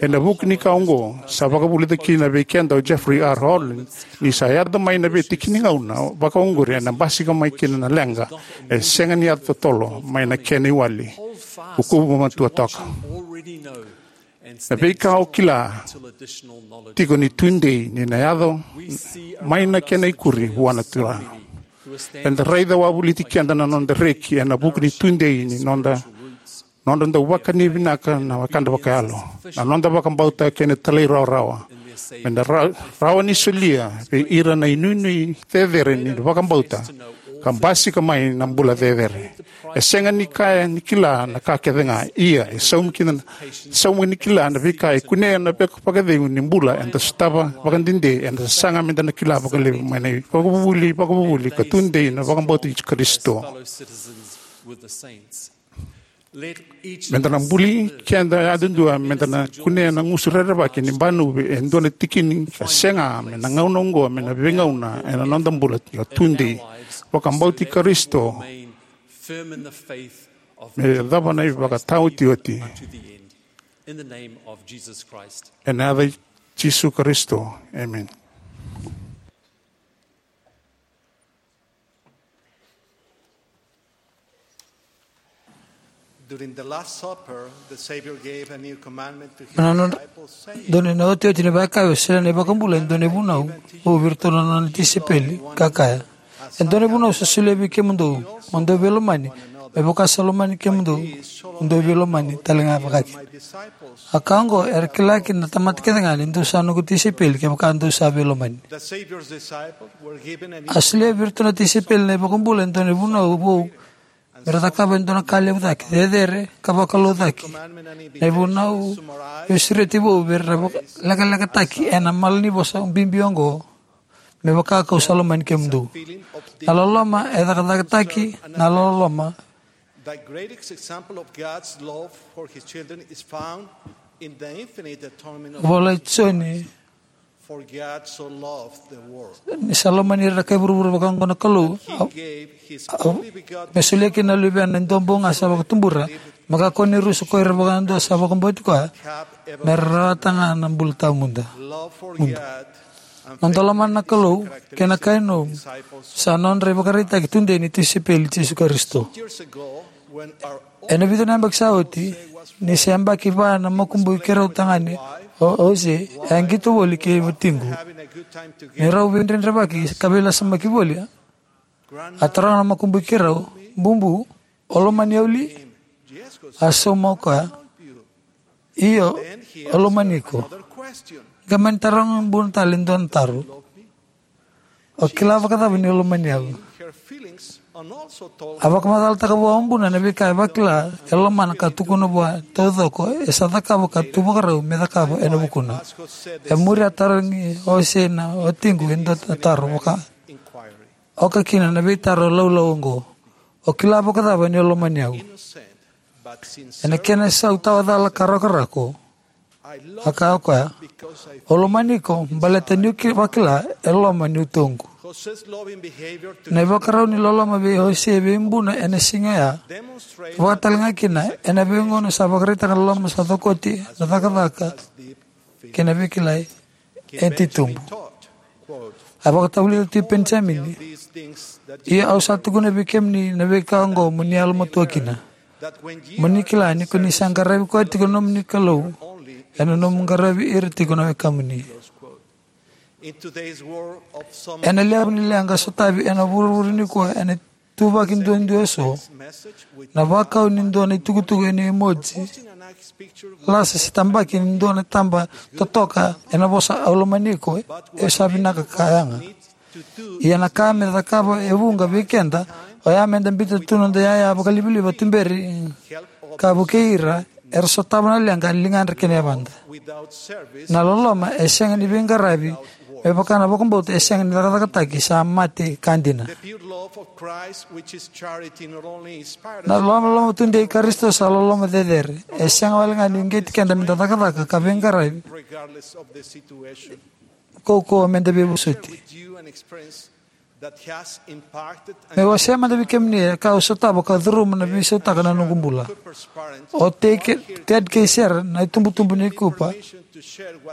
Ena vuku ni ka oqo, sa vakavulica kina vei keda o Jeffrey R. Holland, ni sa yaco mai na veitiki ni gauna vakaoqori ena basika mai kina na leqa e sega ni yaco totolo mai na kena iwali. Kukuva matua toka. Na veika o kila tiko ni tudei ni na yaco mai na kena ikuri vua na Turaga. Eda raica wavoliti keda na noda reki ena vuku ni tudei ni noda, noda dau vakani vinaka na wekada vakayalo, na noda vakabauta kei na talairawarawa. Meda ra-, rawa ni solia vei ira na inuinui cecere ni vakabauta ka basika mai na bula cecere. E sega ni kaya ni kila na ka kece ga, ia e saumi kina, saumi ni kila na veika e kunea na vaka-, vakacegu ni bula eda sotava vakadede, eda sasaga meda na kila vakalevu mai na ivakavuvuli, vakavuvuli ka tudei na vakabauti Karisito. Meda na buli keda yadudua, meda na kunea na gusu rerevaki ni banuvi e dua na tikini ka sega, me na gauna oqo, me na veigauna ena noda bula ka tudei vakabauti Karisito. Me yacova na ivakataotioti. Ena yaca i Jisu Karisito. Emeni. During the Last Supper, the Savior gave a new commandment to his disciples, saying, dua na iotioti ni vakayakavi, e solia na iVakabula e dua na ivunau vou vei iratou na nona tisaipeli, ka kaya, e dua na ivunau sa solia vei kemudou, mo dou veilomani, me vaka sa lomani kemudou, mo dou veilomani tale ga vakakina. A ka oqo era kila kina na tamata kece ga ni dou sa noqu tisaipeli kevaka dou sa veilomani. A solia vei iratou na tisaipeli na iVakabula e dua na ivunau vou me ra cakava e dua na ka levu cake, cecere ka vakalou cake. Na ivunau veisureti vou vei ira na vaka-, lekalekataki ena malanivosa bibi oqo, me vaka kau sa lomani kemudou. Na loloma e cakacakataki, na loloma. The greatest example of God's love for his children is found Vola i Joni, ni sa lomani ira na kai vuravura vaka oqo na Kalou, me solia kina na Luvena e dua bau ga sa vakatubura, me kakua ni rusa ko ira vakadua sa vakabauti koya, me ra rawata ga na bula tawamudu. Noda lomana na Kalou kei na kai nomu sa nodra ivakaraitaki tudei ni tisaipeli i Jisu Karisito. Ena vica na yabaki sa oti, ni se yabaki va na makubui keirau tagane o Jose, e a qito voli kei watiqu. Ni rau veidredrevaki ka veilasamaki voli, a taroga na makubui keirau, "Bubu, o lomani au li?" A sauma o koya, "Io, au lomani iko." Qai mani taroga buna tale e dua na taro, "O kila vakacava ni o lomani au?" A vakamacalataka vua o buna na veika e vakila e lomana ka tukuna vua taucoko e sa cakava ka tu vakarau me cakava ena vukuna. E muri a tarogi o Jose na watiqu e dua na taro vaka, oka kina na veitaro laulau oqo, "O kila vakacava ni o lomani au?" Ena kena isau tawa cala ka rakorako, a kaya o koya, "O lomani iko baleta niu ki- vakila e loma ni utoqu." Na ivakarau ni loloma vei Jose vei buna ena siga oya, vakatalega kina ena veigauna sa vakaraitaka na loloma sa cokoti na cakacaka kei na veikilai e titobu. A vakatavulica tu o Penijamini, "Ia au sa tukuna vei kemuni na veika oqo mo ni yalomatua kina, mo ni kila ni ko ni sa qaravi koya tiko na nomuni Kalou, ena nomu qaravi ira tiko na wekamuni." Ena levu ni leqa sotavi ena vuravura nikua ena ituvaki duadua eso, na vakau ni dua na itukutuku ena emoji lasa se tabaki ni dua na taba totoka ena vosa "Au lomani iko, e sa vinaka ka yaga." Ia na ka me cakava e vuqa vei keda oya meda biuta tu noda iyaya vakalivaliva, tuberi ka vukei ira era sotava na leqa e ligadra kei na yavadra. Na loloma e sega ni veiqaravi, me vaka na vakabauta e sega ni cakacakataki, sa mate ka dina. Na loloma tudei i Karisito sa loloma cecere. E sega wale ga ni uqeti keda meda cakacaka ka veiqaravi, kaukauwa meda veivosoti. Meu wasea mada vei kemuni e ka au sotava ka curuma na veisautaka na noqu bula. O Te- Ted kei Sharon, na itubutubu nei Cooper,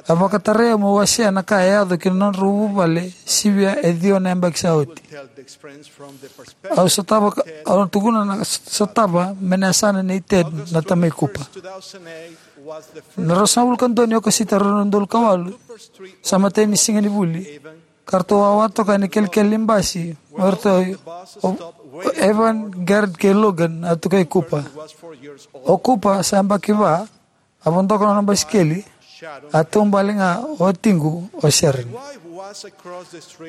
a vakatarai au meu wasea na ka e yaco ki na nodrau vuvale sivia e ciwa na yabaki sa oti. Au sotava ka- au tukuna na sotava mai na yasana nei Ted, na tamai Cooper. Na ruasagavulu ka dua ni Okosita, rua na udolu ka walu, sa matai ni siga ni vuli, ka ratou wawa toka ena kelekele ni basi mai ratou o, o Evan, Garrett kei Logan, a tukai Cooper. O Cooper sa yabaki va, a vodoka na nona basikeli, a taubale ga o watiqu o Sharon.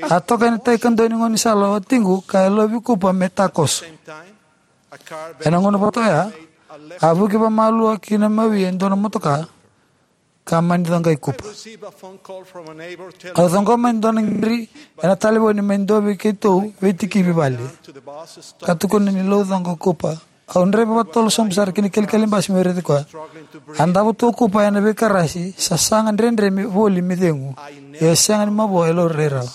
A toka ena tai kadua ni gaunisala o watiqu ka yalovi Cooper me takoso. Ena gauna vata oya, a vuki vakamalua ki na mawi e dua na motoka ka mani coqai Cooper. Au ciqoma e dua na qiri ena talevoni mai dua vei keitou veitikivi vale, ka tukuna ni laucoqa o Cooper. Au draiva vakatotolo sobu sara ki na kelekele ni basi meu raici koya. A davo tu o Cooper ena veikarasi, sasaga dredre me voli me cegu, ia e sega ni mavoa e laurai rawa.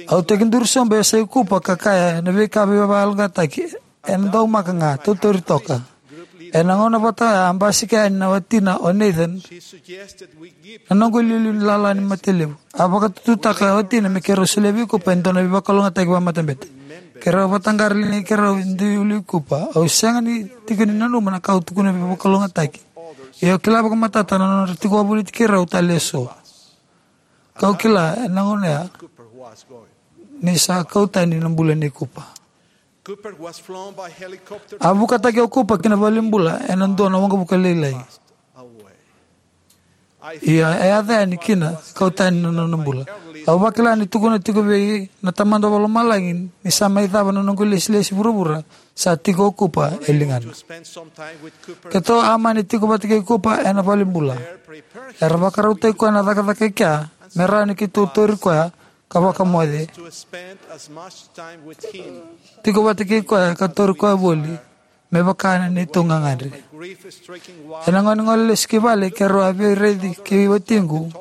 Au tekiduru sobu e yasai Cooper ka kaya na veika veivakayaloqaqataki, ena daumaka ga, tautauri toka. Ena gauna vata oya a basika yani na watina o Nathan, na noqu iliuliu ni lala ni mate levu. A vakatututaka o watina me keirau solia vei Cooper e dua na veivakalougatataki vakamatabete. Keirau vakataqara na ligai keirau e dui ulu i Cooper. Au sega ni tiko ni nanuma na ka au tukuna veivakalougatataki, ia au kila vakamatata na nodra tiko wavoliti keirau tale eso. Kau kila ena gauna ya ni sa kau tani na bula nei Cooper. A vukataki o Cooper ki na valenibula ena dua na waqavuka lailai. Ia e yaco yani kina, kau tani na nona bula. Au vakila ni tukuna tiko vei na Tamada Vakalomalagi ni sa mai cava na noqu ilesilesi vuravura, sa tiko o Cooper e ligana. Keitou a mani tiko vata kei Cooper ena valenibula. Era vakarautaki koya na cakacaka e kea me rawa ni keitou tauri koya ka vakamoce. Tiko vata kei koya ka tauri koya voli. me vaka na neitou gagadre. Ena gauna ni gole lesu ki vale, keirau a veiraici kei watiqu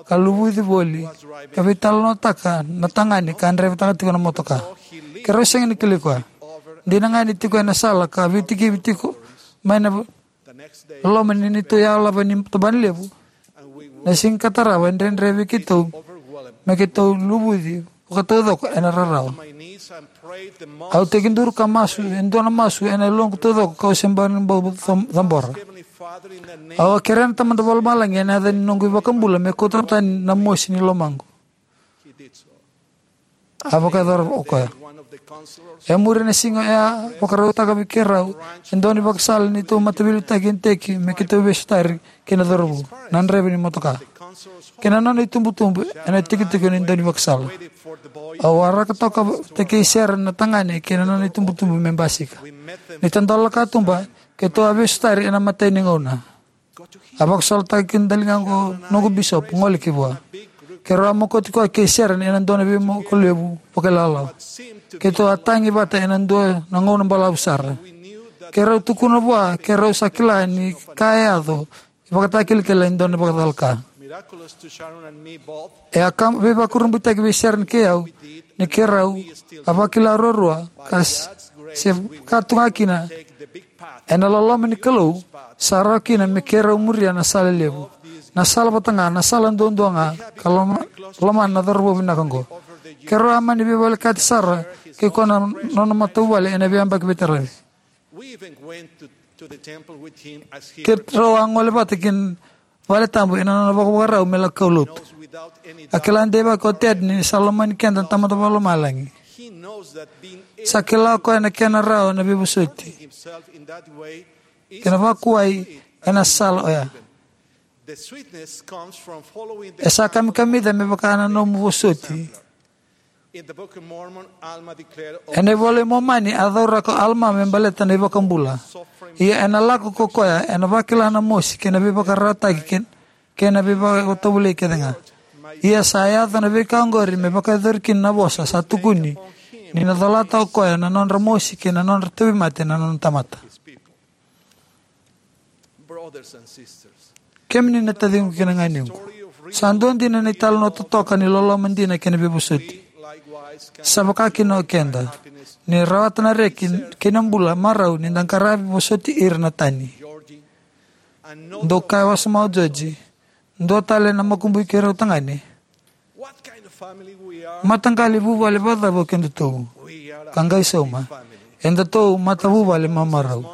ka luvuci voli ka veitalanoataka na tagane ka draivataka tiko na motoka. Keirau sega ni kilai koya. Dina ga ni tiko ena sala ka veitikivi tiko mai na loma ni neitou yalava ni tabanalevu. Na siga ka tarava e dredre vei keitou me keitou luvuci vakataucoko ena rarawa. Au tekiduru ka masu e dua na masu ena yaloqu taucoko kau se bau ni bau cam-, cabora. Au a kerea na Tamada Vakalomalagi ena yaca ni noqu iVakabula me kauta tani na mosi ni lomaqu. A vakayacora o koya. E muri na siga oya, vakarautaka vei keirau e dua na ivakasala ni neitou mataveiliutaki e Teki me keitou veisotari kei na cauravou, na draiva ni motoka, kei na nona itubutubu ena itikotiko ni dua na ivakasala. Au waraka toka vata kei Sera na tagane kei na nona itubutubu me basika. Ni tadola na katuba, keitou a veisotari ena imatai ni gauna. A vakasolotaka kina na daliga oqo noqu bisopi, gole ki vua. Keirau a mokoti koya kei Sera ena dua na veimoko levu vakailawalawa. Keitou a tagi vata ena dua na gauna balavu sara. Keirau tukuna vua keirau sa kila ni ka e yaco e vakatakilakila e dua na vakacalaka. E a ka veivakurabuitaki vei Sera kei au ni keirau a vakila ruarua ka s-, se ka tu ga kina ena loloma ni Kalou, sa rawa kina me keirau muria na sala levu, na sala vata ga, na sala duadua ga, ka loma, lomana na cauravou vinaka oqo. Keirau a mani veivolekati sara kei koya na nona matavuvale ena veiyabaki veitaravi. Keirau a gole vata ki na vale tabu ena nona vakavakarau me lako kaulotu. A kila deivaki o Ted ni sa lomani keda na Tamada Vakalomalagi. Sa kila o koya na kena rawa na veivosoti kei na vakuwai ena sala oya. E sa kamikamica me vaka na nomu vosoti. Ena iVola i Momani a cauraka o Alama me baleta na iVakabula. Ia ena lako ko koya ena vakila na mosi kei na veivakararawataki kei, kei na veivakatovolei kece ga. Ia sa yaco na veika oqori me vakayacori kina na vosa sa tukuni ni na colata o koya na nodra mosi kei na nodra tauvimate na nona tamata. Kemuni na taciqu kei na ganequ, sa dua dina na italanoa totoka ni loloma dina kei na veivosoti. Sa vaka kina o keda, ni rawata na reki kei na bula marau ni da qaravi vosoti ira na tani. Dou kaya wasoma o Joji, dua tale na makubui keirau tagane. Mataqali vuvale vakacava o kedatou? Ka qai sauma, edatou matavuvale mamarau.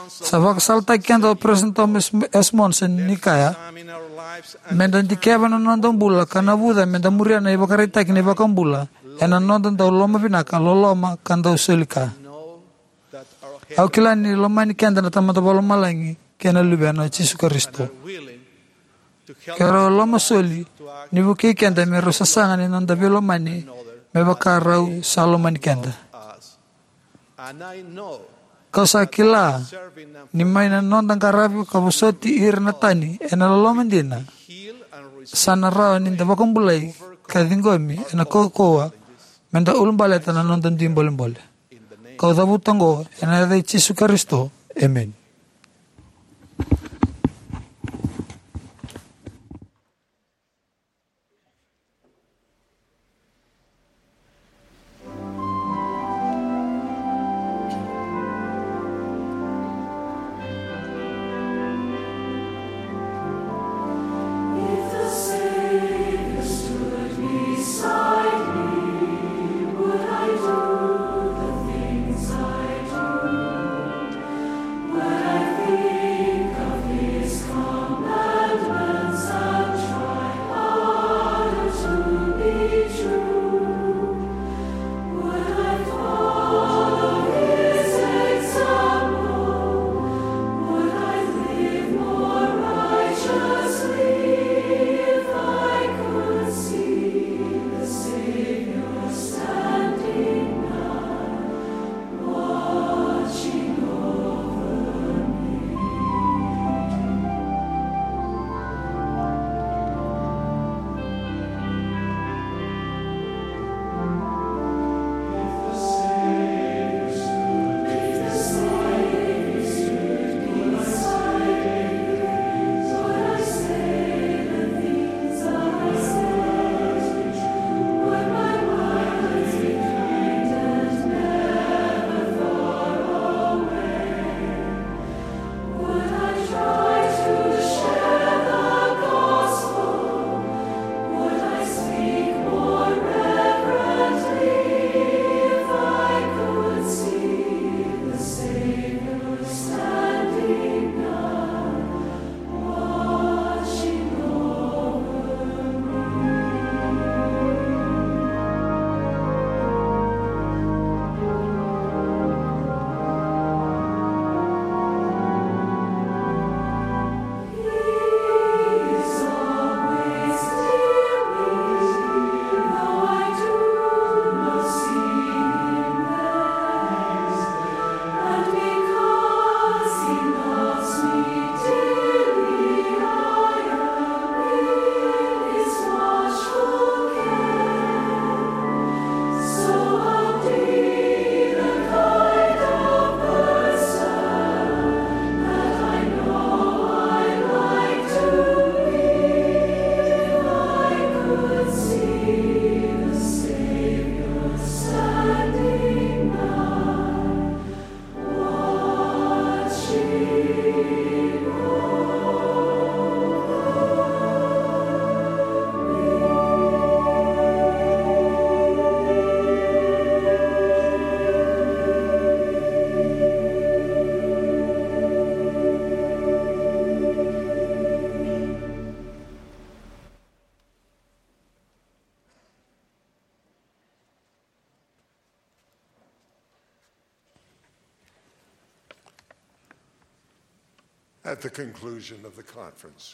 Sa vakasalataki keda o Peresitedi Thomas S. Monson ni kaya, meda dikeva na noda bula ka navuca meda muria na ivakaraitaki ni iVakabula ena noda dau lomavinaka, loloma ka dau soli ka. Au kila ni lomani keda na Tamada Vakalomalagi kei na Luvena o Jisu Karisito. Keirau loma soli ni vukei keda me rau sasaga ni noda veilomani me vaka rau sa lomani keda. Kau sa kila ni mai na noda qaravi ka vosoti ira na tani ena loloma dina, sa na rawa ni da vakabulai ka ciqomi ena kaukauwa meda ulabaleta na noda dui bolebole. Kau cavuta oqo ena yaca i Jisu Karisito. Emeni. At the conclusion of the conference,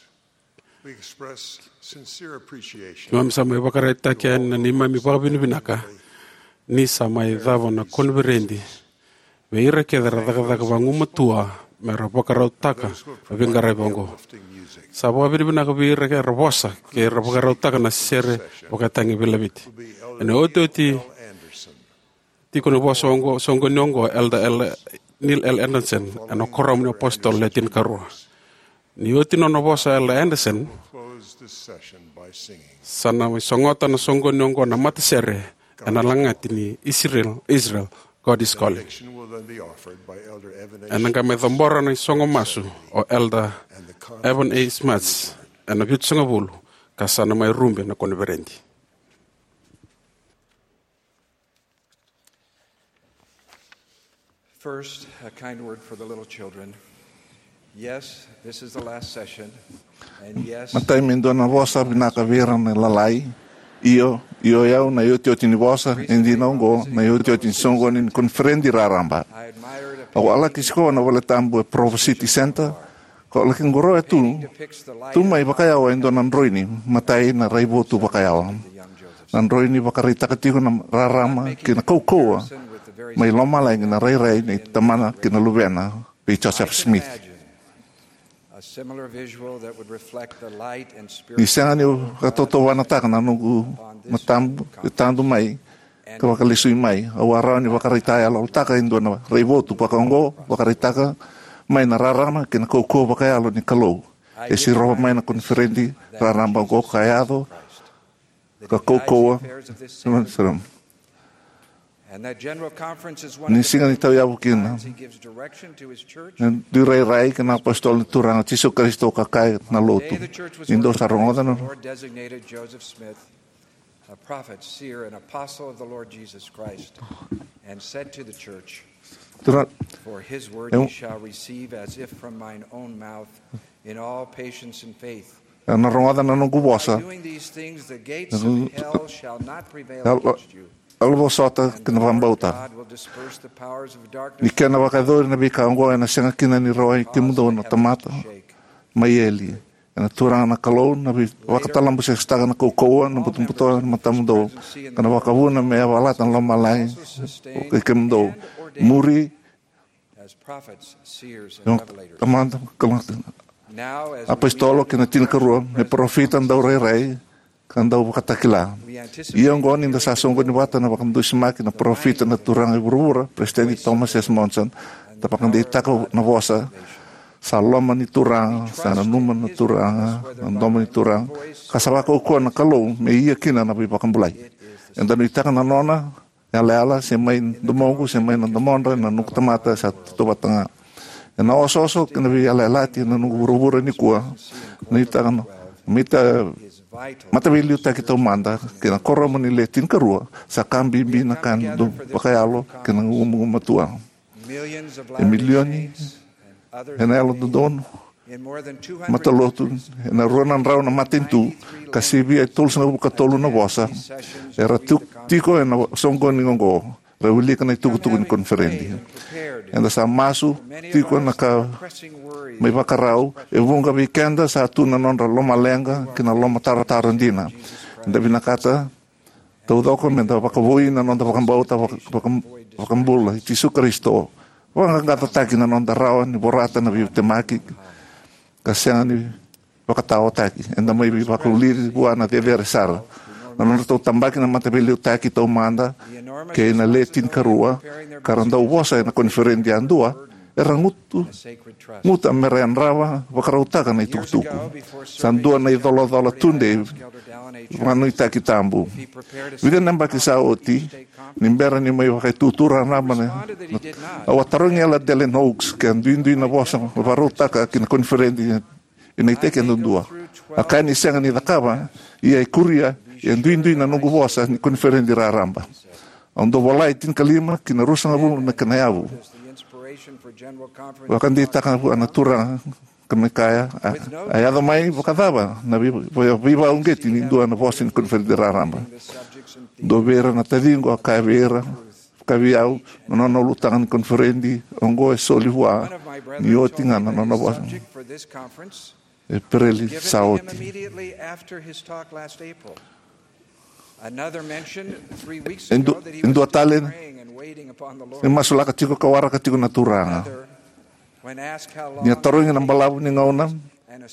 we express sincere appreciation. Keimami sa mai vakaraitaka yani na neimami vakavinavinaka ni sa mai cava na koniferedi vei ira kece era cakacaka vagumatua me ra vakarautaka na veiqaravi oqo. Sa vakavinavinaka vei ira era vosa kei ira vakarautaka na sere vakatagi veilaveti. Ena otioti tiko na vosa oqo, soqoni oqo, Elder L-, Neil L. Andersen, ena Kuoramu ni iApositolo Le Tinikarua. Ni oti nona vosa Elder Andersen, sa na mai sogota na soqoni oqo na matasere ena lagati ni Israel, Israel, God is Calling. Ena qai mai cabora na isogo masu o Elder Evan A. Smuts ena vitusagavulu, ka sa na mai rube na koniferedi. First, a kind word for the little children. Yes, this is the last session, and yes, matai, me dua na vosa vinaka vei ira na lalai. Io, io, au na iotioti ni vosa, e dina oqo na iotioti ni soqoni ni koniferedi raraba. Au a laki sikoa na vale tabu e Provo City Center, ko laki qoroya tu, tu mai vakayawa e dua na droini, matai, na raivotu vakayawa. Na droini vakaraitaka tiko na rarama kei na kaukauwa mai lomalagi, na rairai nei Tamana kei na Luvena vei Joseph Smith. Ni sega ni vakatautauvatataka na noqu matabu e tadu mai ka vakalesui mai, au a rawa ni vakaraitayaloyalotaka e dua na raivotu vakaoqo, vakaraitaka mai na rarama kei na kaukauwa vakayalo ni Kalou. E sirova mai na koniferedi raraba oqo ka yaco ka kaukauwa. Ni siga ni tauyavu kina, e dui rairai kei na iApositolo ni Turaga Jisu Karisito ka kaya na lotu. Ni dou sa rogoca na a prophet, seer, and apostle of the Lord Jesus Christ, and said to the church, Tura-, for his word e, ye shall receive as if from mine own mouth, in all patience and faith. Ena rogoca na noqu vosa. By doing these things, the gates of hell shall not prevail against you. Au vosota kei na vakabauta. God will disperse the powers of darkness. Ni kena vakayacori na veika oqo, ena sega kina ni rawai kemudou na tamata mai eli. Ena Turaga na Kalou na vei-, vakatalabusesotaka na kaukauwa, na butobuto, na matamudou, ka na vakavuna me yavalata na lomalagi kei kemudou. Muri, as prophets, seers, and revelators. Tamata, Kalou, now, as apositolo kei na tinikarua, me parofita, daurairai, ka dauvakatakila. Ia oqo ni da sa soqoni vata na vakadusimaki na parofita na Turaga e vuravura, Peresitedi Thomas S. Monson, da vakadeitaka na vosa, sa loma ni Turaga, sa nanuma na Turaga, na domo ni Turaga, ka sa vakaukauwa na Kalou me ia kina na veivakabulai. Eda nuitaka na nona yalayala, se mai domoqu, se mai na domodra, na noqu tamata, sa tautauvata ga. Ena osooso kei na veiyalayalati ena noqu vuravura nikua, nuitaka na mita-, mataveiliutaki taumada kei na Kuoramu ni Le Tinikarua, sa ka bibi na ka dau vakayalo kei na gugumatua. E milioni ena yalododonu matalotu ena rua na drau na matanitu, ka sivia e tolusagavulu ka tolu na vosa era tu-, tiko ena soqoni oqo, ra wilika na itukutuku ni koniferedi. Eda sa masu tiko na ka mai vakarau, e vuqa vei keda sa tu na nodra lomaleqa kei na lomatarotaro dina. Eda vinakata taucoko meda vakavoui na noda vakabauta vaka-, vaka-, vakabula i Jisu Karisito. Vaqaqacotaki na noda rawa ni vorata na veitemaki ka sega ni vakataotaki. Eda mai veivakavulici vua na cecere sara. Na nodratou tabaki na mataveiliutaki taumada kei na Le Tinikarua, ka ra dau vosa ena koniferedi yadua, era gutu, guta mera yadrava vakarautaka na itukutuku. Sa dua na icolacola tudei vakanuitaki tabu. Vica na yabaki sa oti, ni bera ni mai vakaitutu raraba na, na, au a tarogi Elder Dallin H. Oaks ke a duidui na vosa vakarautaka ki na koniferedi ena iteki yadudua. A kaya ni sega ni cakava, ia e kuria, e duidui na noqu vosa ni koniferedi raraba. Au dau vola e tinikalima ki na ruasagavulu na kena yavu. Vakadeitaka vua na Turaga ka me kaya, a, a yaco mai vakacava na vei-, vei-, veivakauqeti ni dua na vosa ni koniferedi raraba. Dua vei ira na taciqu a kaya vei ira, Ka vei au, na nona ulutaga ni koniferedi oqo e soli vua ni oti ga na nona vosa. E Pereli sa oti. E du-, e dua tale, e masulaka tiko ka waraka tiko na Turaga. Ni a tarogi na balavu ni gauna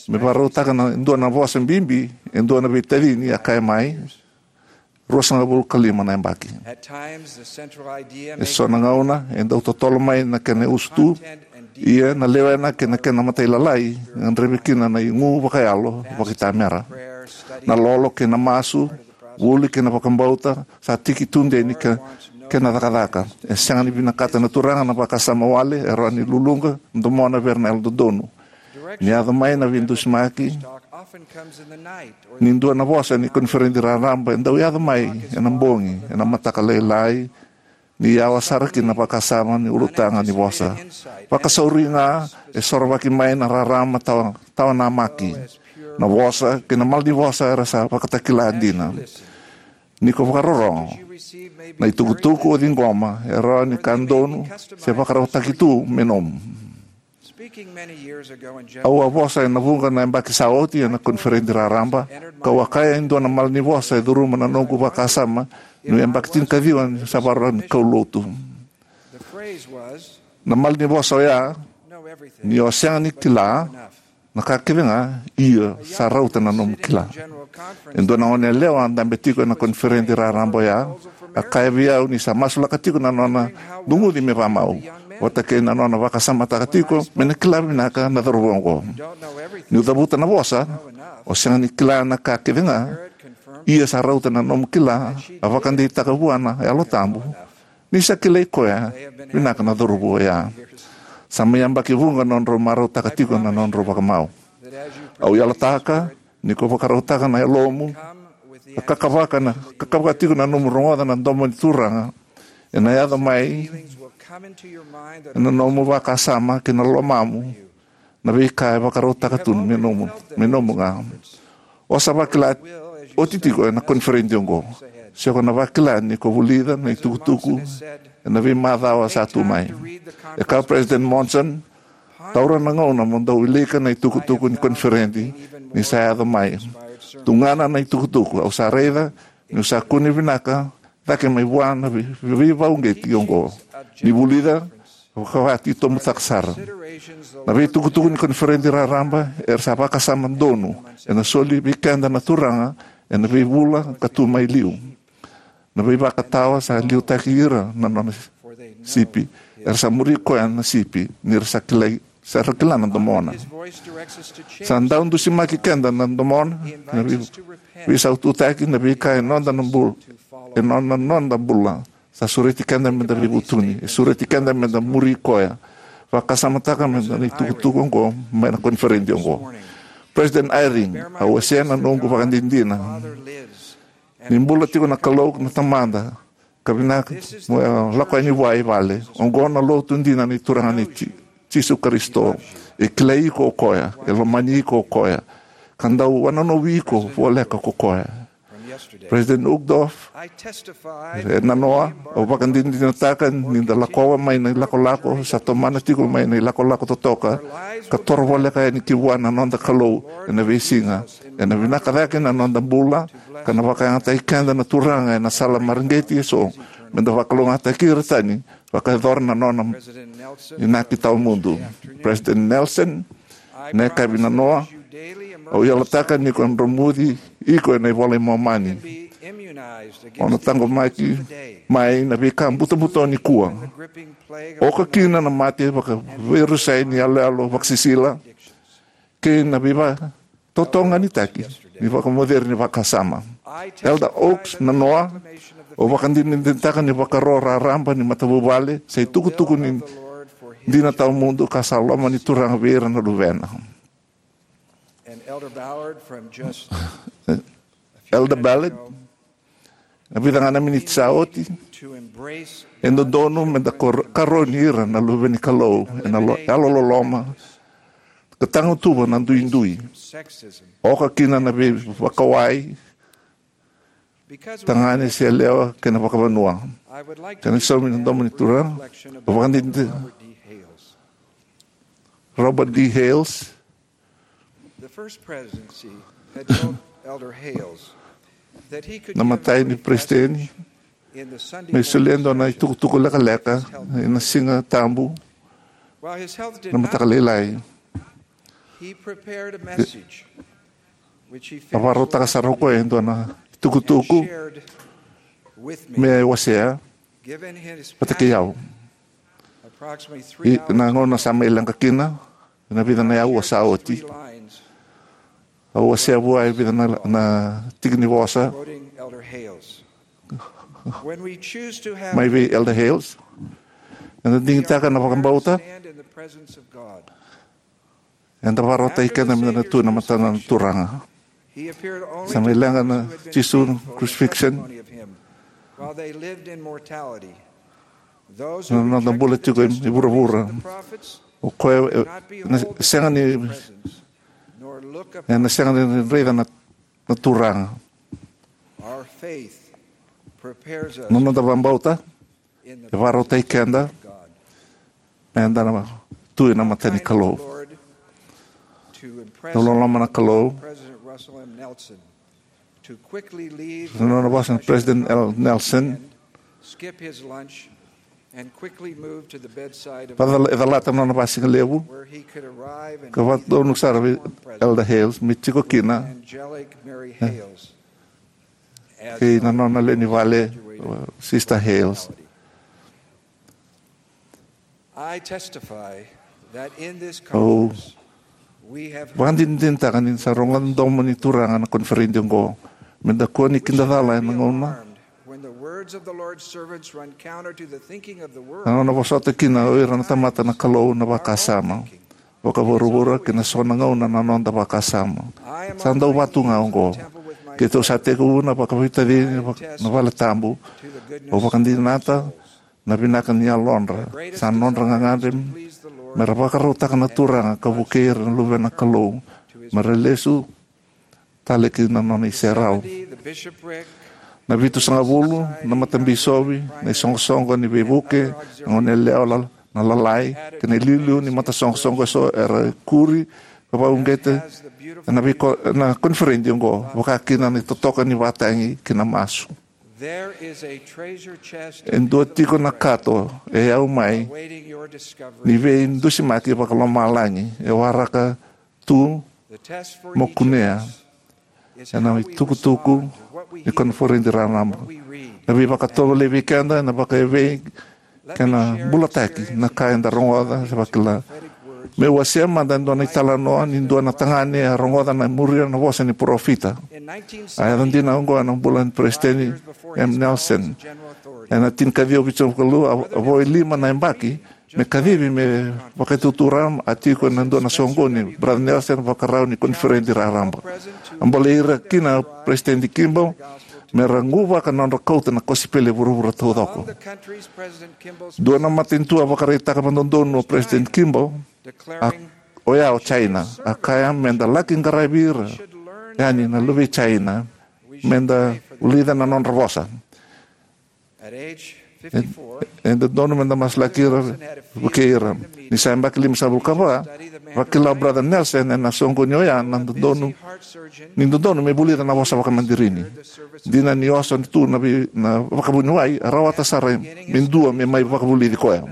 me vakarautaka na dua na vosa bibi, e dua na veitacini a kaya mai, ruasagavulu ka lima na yabaki. E so na gauna e dau totolo mai na kena usutu, ia na lewena kei na kena matailalai e gadrevi kina na igu vakayalo vakaitamera. Na lolo kei na masu, vuli kei na vakabauta sa tiki tudei ni ke-, kena cakacaka. E sega ni vinakata na Turaga na vakasama wale e rawa ni luluqa domona vei ira na yalododonu. Ni yaco mai na veidusimaki ni dua na vosa ni koniferedi raraba, e dau yaco mai ena bogi, ena mataka lailai, ni yawa sara kina na vakasama ni ulutaga ni vosa. Vakasauri ga e sorovaki mai na rarama tawa, tawa namaki. Na vosa kei na malanivosa era sa vakatakila dina. Ni ko vakarorogo, na itukutuku o ciqoma e rawa ni ka donu se vakarautaki tu me nomu. Au a vosa ena vuqa na yabaki sa oti ena koniferedi raraba, kau a kaya e dua na malanivosa e curuma na noqu vakasama, niu yabaki tinikaciwa ni sa vakarau ni kaulotu. Na malanivosa oya, ni o sega ni kila na ka kece ga, ia sa rauta na nomu kila. E dua na goneyalewa a dabe tiko ena koniferedi raraba oya, a kaya vei au ni sa masulaka tiko na nona duguci me vakamau, vata kei na nona vakasamataka tiko me na kila vinaka na cauravou oqo. Niu cavuta na vosa, o sega ni kila na ka kece ga, ia sa rauta na nomu kila, a vakadeitaka vua na Yalo Tabu ni sa kilai koya vinaka na cauravou oya. Sa mai yabaki vuqa nodrau marautaka tiko na nodrau vakamau. Au yalataka ni ko vakarautaka na yalomu, ka kakavaka na, kakavaka tiko na nomu rogoca na domo ni Turaga, ena yaco mai ena nomu vakasama kei na lomamu na veika e vakarautaka tu me nomu, me nomu ga. O sa vakila oti tiko ena koniferedi oqo, se ko na vakila ni ko vulica na itukutuku ena veimacawa sa tu mai. E kaya o President Monson, taura na gauna mo dau wilika na itukutuku ni koniferedi ni sa yaco mai. Tugana na itukutuku, au sa raica niu sa kune vinaka cake mai vua na vei-, veivakauqeti oqo. Ni vulica, vakavati tobutaka sara. Na veitukutuku ni koniferedi raraba era sa vakasama donu, ena soli vei keda na Turaga ena veivula ka tu mai liu. Na veivakatawa sa liutaki ira na nona sipi, era sa muri koya na sipi, ni ra sa kilai, sa ra kila na domona. Sa dau dusimaki keda na domona, na vei-, veisaututaki, na veika e noda na bul-, e noda, noda bula. Sa sureti keda meda veivutuni, e sureti keda meda muri koya. Vakasamataka meda na itukutuku oqo mai na koniferedi oqo. President Eyring, au wasea na noqu vakadinadina ni bula tiko na Kalou na Tamada, ka vinaka mo lako yani vua i vale. Oqo na lotu dina ni Turaga ni Ji-, Jisu Karisito. E kilai iko o koya, e lomani iko o koya, ka dau wanonovi iko voleka ko koya. President Uchtdorf, e nanoa, au vakadinadinataka ni da lakova mai na ilakolako sa tomana tiko mai na ilakolako totoka, ka toro voleka yani ki vua na noda Kalou ena veisiga. Ena vinaka cake na noda bula, ka na vakayagataki keda na Turaga ena sala mareqeti eso, meda vakalougatataki ira tani, vakayacora na nona inaki tawamudu. President Nelson, na yakavi nanoa, au yalataka ni ko dromuci iko ena iVola i Momani. O na taqomaki mai na veika butobuto nikua. Oka kina na mate vakaveirusai ni yaloyalo vakasisila, kei na veiva totoganitaki ni vakamoceri ni vakasama. Elder Oaks, nanoa, au vakadinadinataka ni vakaro raraba ni matavuvale sa itukutuku ni dina tawamudu ka sa loma ni Turaga vei ira na luvena. Elder Ballard, na vica ga na miniti sa oti, e dodonu meda kar-, karoni ira na luve ni Kalou ena lo-, yalololoma ka tagutuva na duidui. Oka kina na veivakawai, tagane se yalewa kei na vakavanua. Kena saumi na domo ni Turaga, o vakadidi Robert D. Hales. Na matai ni peresiteni me solia e dua na itukutuku lekaleka ena Siga Tabu na mataka lailai. A vakarautaka sara o koya e dua na itukutuku me wasea vata kei au. Ena gauna sa mai leqa kina, ena vica na aua sa oti, au wasea vua e vica na, na tiki ni vosa mai vei Elder Hales. Eda digitaka na vakabauta, eda vakarautaki keda meda na tu ena matana na Turaga. Sa mai leqa na Jisu na crucifixion. Na noda bula tiko e vuravura, o koya e na sega ni, e na sega ni raica na, na Turaga. Na noda vakabauta e vakarautaki keda meda na tu ena mata ni Kalou. Dau loloma na Kalou. Na nona vosa na President L. Nelson, e calata na nona vasigalevu ka vakadonu sara vei Elder Hales me tiko kina kei na nona lewe ni vale, Sister Hales. Au vakadinadinataka ni sa rogoca na domo ni Turaga na koniferedi oqo. Meda kua ni kidacala ena gauna na nona vosota kina o ira na tamata na Kalou na vakasama vakavuravura kei na so na gauna na noda vakasama. Sa dau vatu ga oqo. Keitou sa tekivu na vakaveitacini na vale tabu. Au vakadinata na vinaka ni yalodra. Sa nodra gagadre mera vakarautaka na Turaga ka vukei ira na luvena Kalou mera lesu tale ki na nona iserau. Na vitusagavulu na matabisovi, na isoqosoqo ni veivuke, na goneyalewa, na lalai kei na iliuliu ni matasoqosoqo eso era ikuri ka vakauqeti ena veiko, na koniferedi oqo, vaka kina na itotoka ni vakatagi kei na masu. E dua tiko na kato e yau mai ni veidusimaki vakalomalagi e waraka tu mo kunea ena itukutuku ni koniferedi raraba. Na veivakatovolei vei keda ena vakaevei kei na bulataki na ka eda rogoca se vakila. Meu wasea mada e dua na italanoa ni dua na tagane a rogoca na muria na vosa ni parofita. A yaco dina oqo ena bula ni Peresitedi M. Nelson. Ena tinikaciwa vitusagavulu ka lima, a vo e lima na yabaki me kacivi me vakaitutu raraba, a tiko ena dua na soqoni. Brother Nelson vakarau ni koniferedi raraba. A bolei ira kina o Peresitedi Kimball mera quvaka na nodra kauta na kosipeli e vuravura taucoko. Dua na matanitu a vakaraitaka vakadodonu o President Kimball, a, oya o China, a kaya meda laki qaravi ira yani na luve i China, meda vulica na nodra vosa. E, e dodonu meda masulaki ira, vukei ira. Ni sa yabaki limasagavulu ka va, vakila o Brother Nelson ena soqoni oya na dodonu, ni dodonu me vulica na vosa vakamadirini. Dina ni oso tu na vei, na vakavuniwai, a rawata sara me dua me mai vakavulici koya.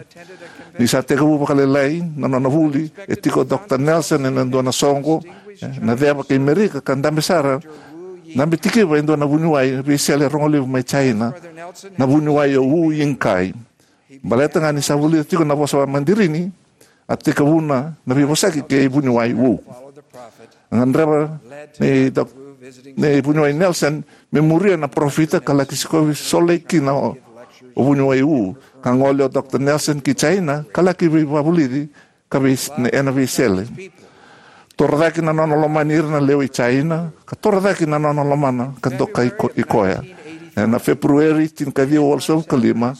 Ni sa tekivu vakalailai na nona vuli, e tiko o Doctor Nelson ena dua na soqo, e, na ceva kei Merika ka dabe sara, dabe tikiva e dua na vuniwai veisele rogo levu mai China, na vuniwai o Wu Yingkai. Baleta ga ni sa vulica tiko na vosa vakamadirini, a tekivuna na veivosaki kei vuniwai Wu. A gadreva nei, nei vuniwai Nelson me muria na parofita ka laki sikovi Salt Lake kina o, o vuniwai Wu. Ka gole o Doctor Nelson ki China ka laki veivakavulici ka vei, ena veisele. Torocake na nona lomani ira na lewe i China, ka torocake na nona lomana ka dokai ko, i koya. Ena Feperueri tinikaciwa walusagavulu ka lima,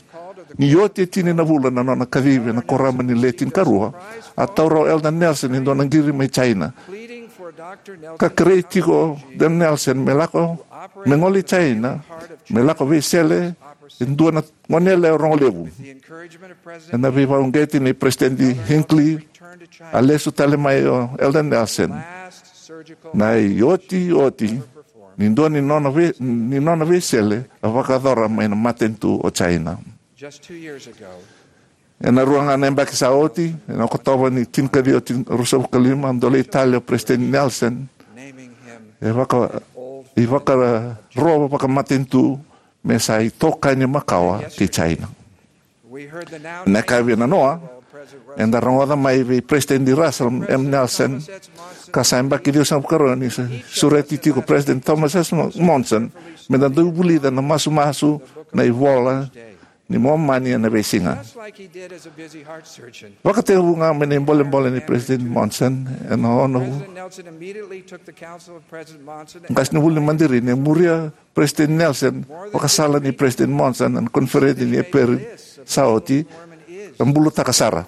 ni oti e tini na vula na nona kacivi ena korama ni Le Tinikarua, a taura o Elder Nelson e dua na qiri mai China. Ka kerei tiko o Elder Nelson me lako, me gole i China, me lako veisele e dua na goneyalewa rogo levu. Ena veivakauqeti nei President Hinckley, a lesu tale mai o Elder Nelson. Na iotioti ni dua ni nona, vei, ni nona veisele a vakayacora mai na matanitu o China. Ena rua ga na yabaki sa oti, ena Okotova ni tinikaciwa ruasagavulu ka lima, a dolei tale o President Nelson e vaka, ivakarau vakamatanitu me sa itokani makawa kei China. Na ka via nanoa, eda rogoca mai vei President Russell M. Nelson, ka sa yabaki ciwasagavulu ka rua ni sa sureti tiko President Thomas S. Monson, me da dau vulica na masumasu, na iVola ni Momani ena veisiga. Vakatekivu ga mai na ibolebole ni President Monson, ena ono, qasenivuli ni Madirini, e muria President Nelson vakasala ni President Monson ena koniferedi ni Eperu sa oti, ka bulataka sara.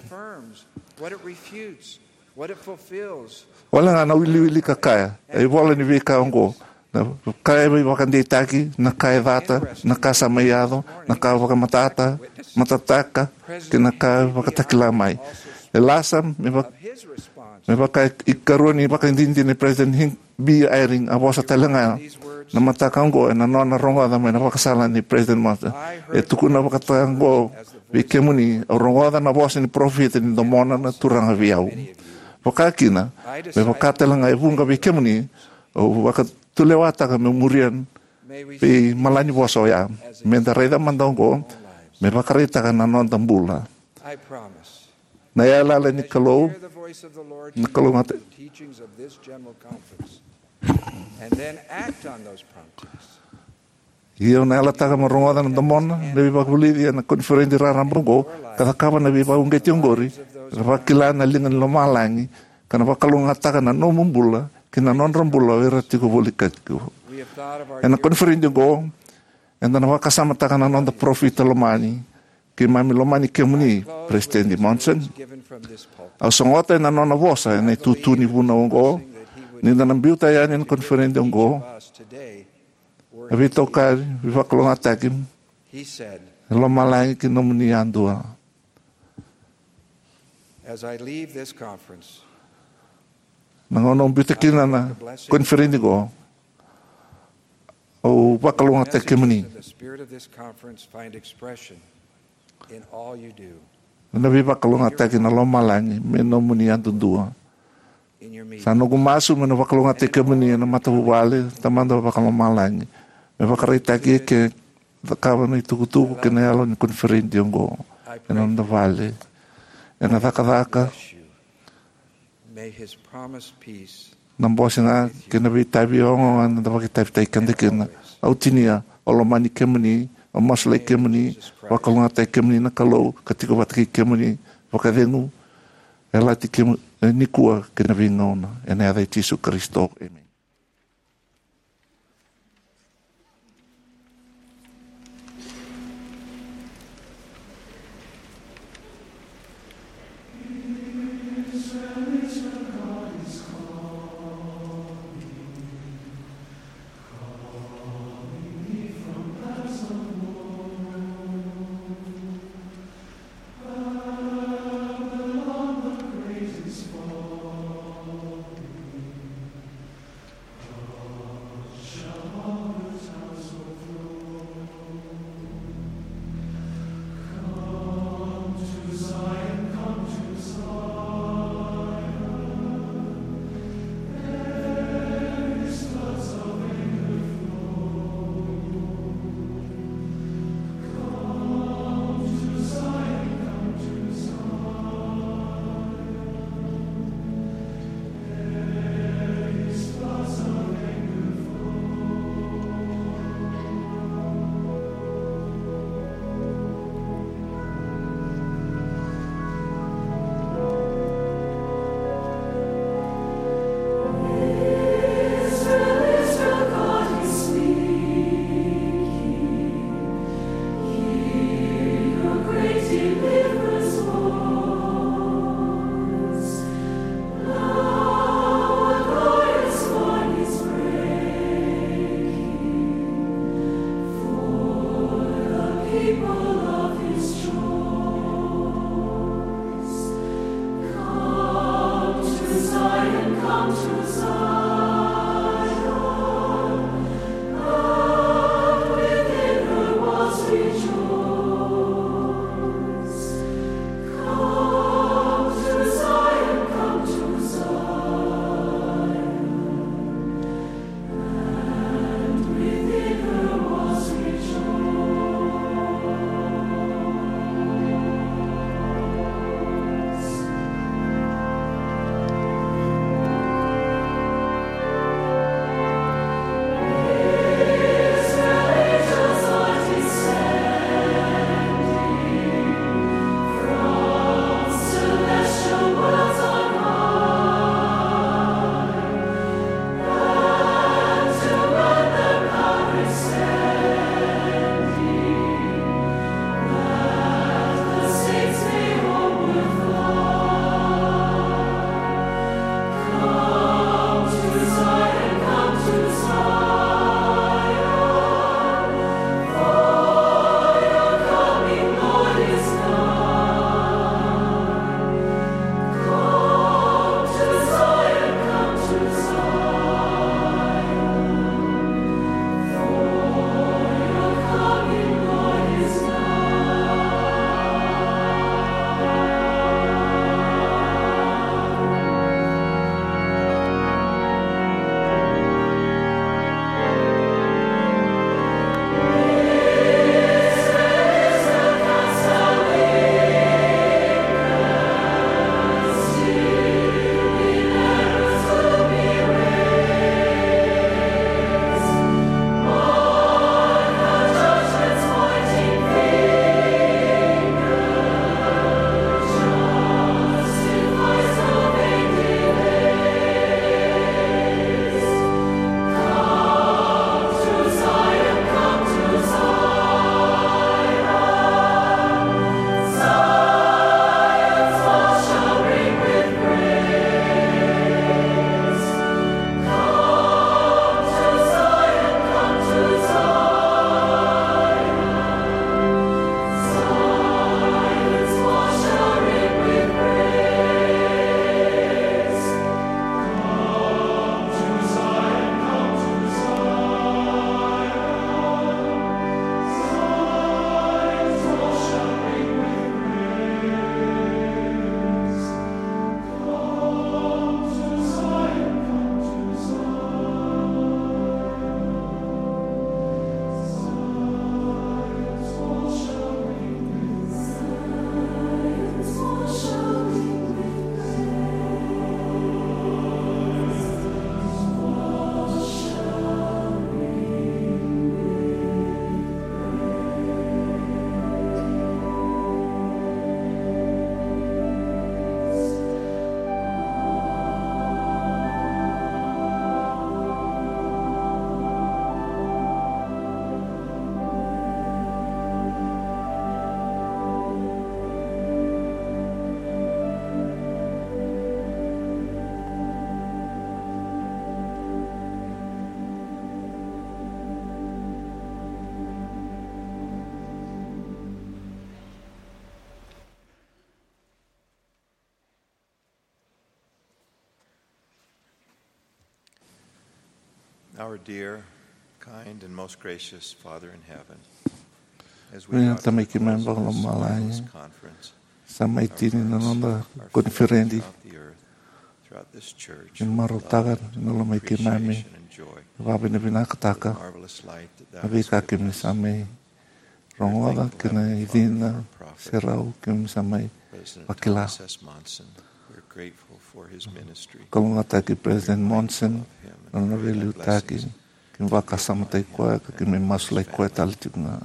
Wale ga na wiliwili ka kaya, e ivola ni veika oqo, na ka e veivakadeitaki, na ka e cata, na ka sa mai yaco, na ka vakamatata, matataka, kei na ka vakatakila mai. E lasa me vaka, me vaka ikarua ni vakadinadina ni President Hink B. Eyring a vosa tale ga na mataka oqo ena nona rogoca mai na vakasala ni President Monson. E tukuna vakataka oqo vei kemuni, au rogoca na vosa ni parofita ni domona na Turaga vei au. Vakakina, me vaka tale ga e vuqa vei kemuni, au vakatulewataka meu muria veimalanivosa oya. Me da raica mada oqo, me vakaraitaka na noda bula. Na yalayala ni Kalou, na Kalou gata. Io, na yalataka mo rogoca na domona na veivakavulici ena koniferedi raraba oqo, ka cakava na veivakauqeti oqori, ka vakila na liga ni lomalagi, ka na vakalougatataka na nomu bula kei na nodra bula o ira tiko voli katiku. Ena koniferedi oqo, eda na vakasamataka na noda parofita lomani. Keimami lomani kemuni, President Monson. Au sogota ena nona vosa ena itutu ni vunau oqo, ni da na biuta yani ena koniferedi oqo, a veitokani, veivakalougatataki e lomalagi ki nomuni yadua. Na gauna au biuta kina na koniferedi oqo, au vakalougatataki kemuni. Na veivakalougatataki na lomalagi me nomuni yadudua. Sa noqu masu meu na vakalougatataki kemuni ena matavuvale, Tamada vakalomalagi, me vakaraitaki eke, cakava na itukutuku kei na yalo ni koniferedi oqo ena noda vale, ena cakacaka. Na bose ga kei na veitavi oqo ga eda vakaitavitaki keda kina. Au tinia, au lomani kemuni, au masulaki kemuni, vakalougatataki kemuni na Kalou ka tiko vata kei kemuni vakacegu, e lati kemuni nikua kei na veigauna. Ena yaca i Jisu Karisito, emeni. Our dear, kind, and most gracious Father in heaven, as we Vinaka gather Tamai for keimami this vakalomalagi, conference, sa mai tini na noda koniferedi. Ni marautaka na lomai keimami, vavinavinakataka na veika keimami sa mai rogoca kei na icina serau keimami sa mai vakila. Kalougata ki President Monson, na nona veiliutaki, keimami vakasamataki koya ka keimami masulaki koya tale tiko ga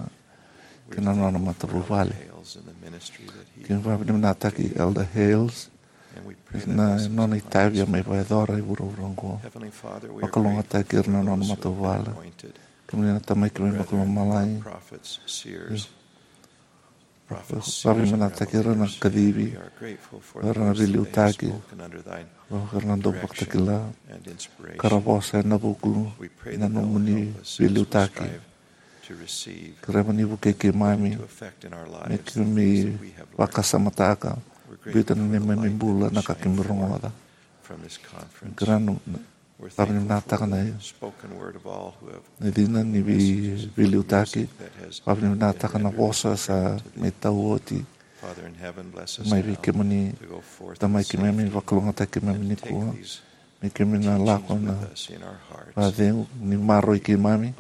kei na nona matavuvale. Keimami vavinavinakataki Elder Hales na nona itavi a mai vakayacora e vuravura oqo. Vakalougatataki ira na nona matavuvale. Kemuni na Tamai keimami vakalomalagi. Vavinavinakataki ira na kacivi, ira na veiliutaki, ira na dau vakatakila ka ra vosa ena vuku na nomuni veiliutaki. Keremuni vukei keimami me keimami vakasamataka, biuta na neimami bula na ka keimami rogoca. Keremuni vavinavinakataka na icina ni vei- veiliutaki, vavinavinakataka na vosa sa mai tau oti mai vei kemuni. Tamai keimami, vakalougatataki keimami nikua me keimami na lako na vakacegu ni maroroi keimami.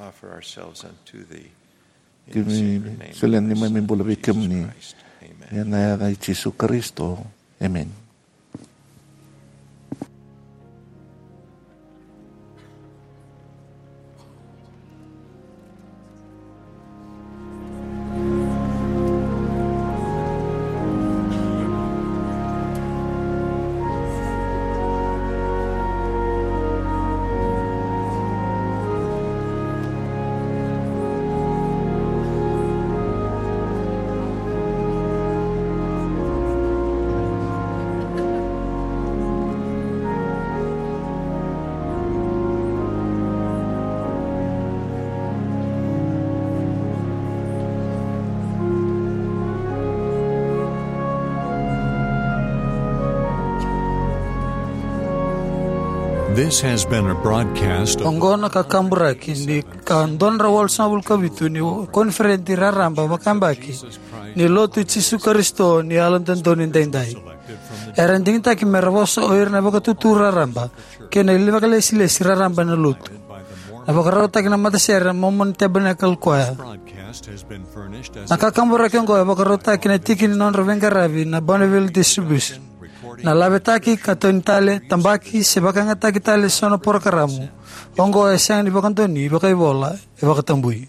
Keimami solia na neimami bula vei kemuni. Ena yaca i Jisu Karisito. Emeni. This has been a broadcast of Oqo na kakaburaki ni ka dua na drau walusagavulu ka vitu ni koniferedi raraba vakayabaki ni Lotu i Jisu Karisito ni Yalododonu Edaidai. Era digitaki mera vosa o ira na vakatutu raraba kei na ivakalesilesi raraba ena Lotu. Na vakarautaki na matasere na Mormon Tabernacle Choir. Na kakaburaki oqo e vakarautaki na tiki ni nodra veiqaravi na Bonneville Distribution. Na lavetaki ka toni tale, tabaki se vakayagataki tale eso na porokaramu oqo e sega ni vakadonui vakaivola, e vakatabui.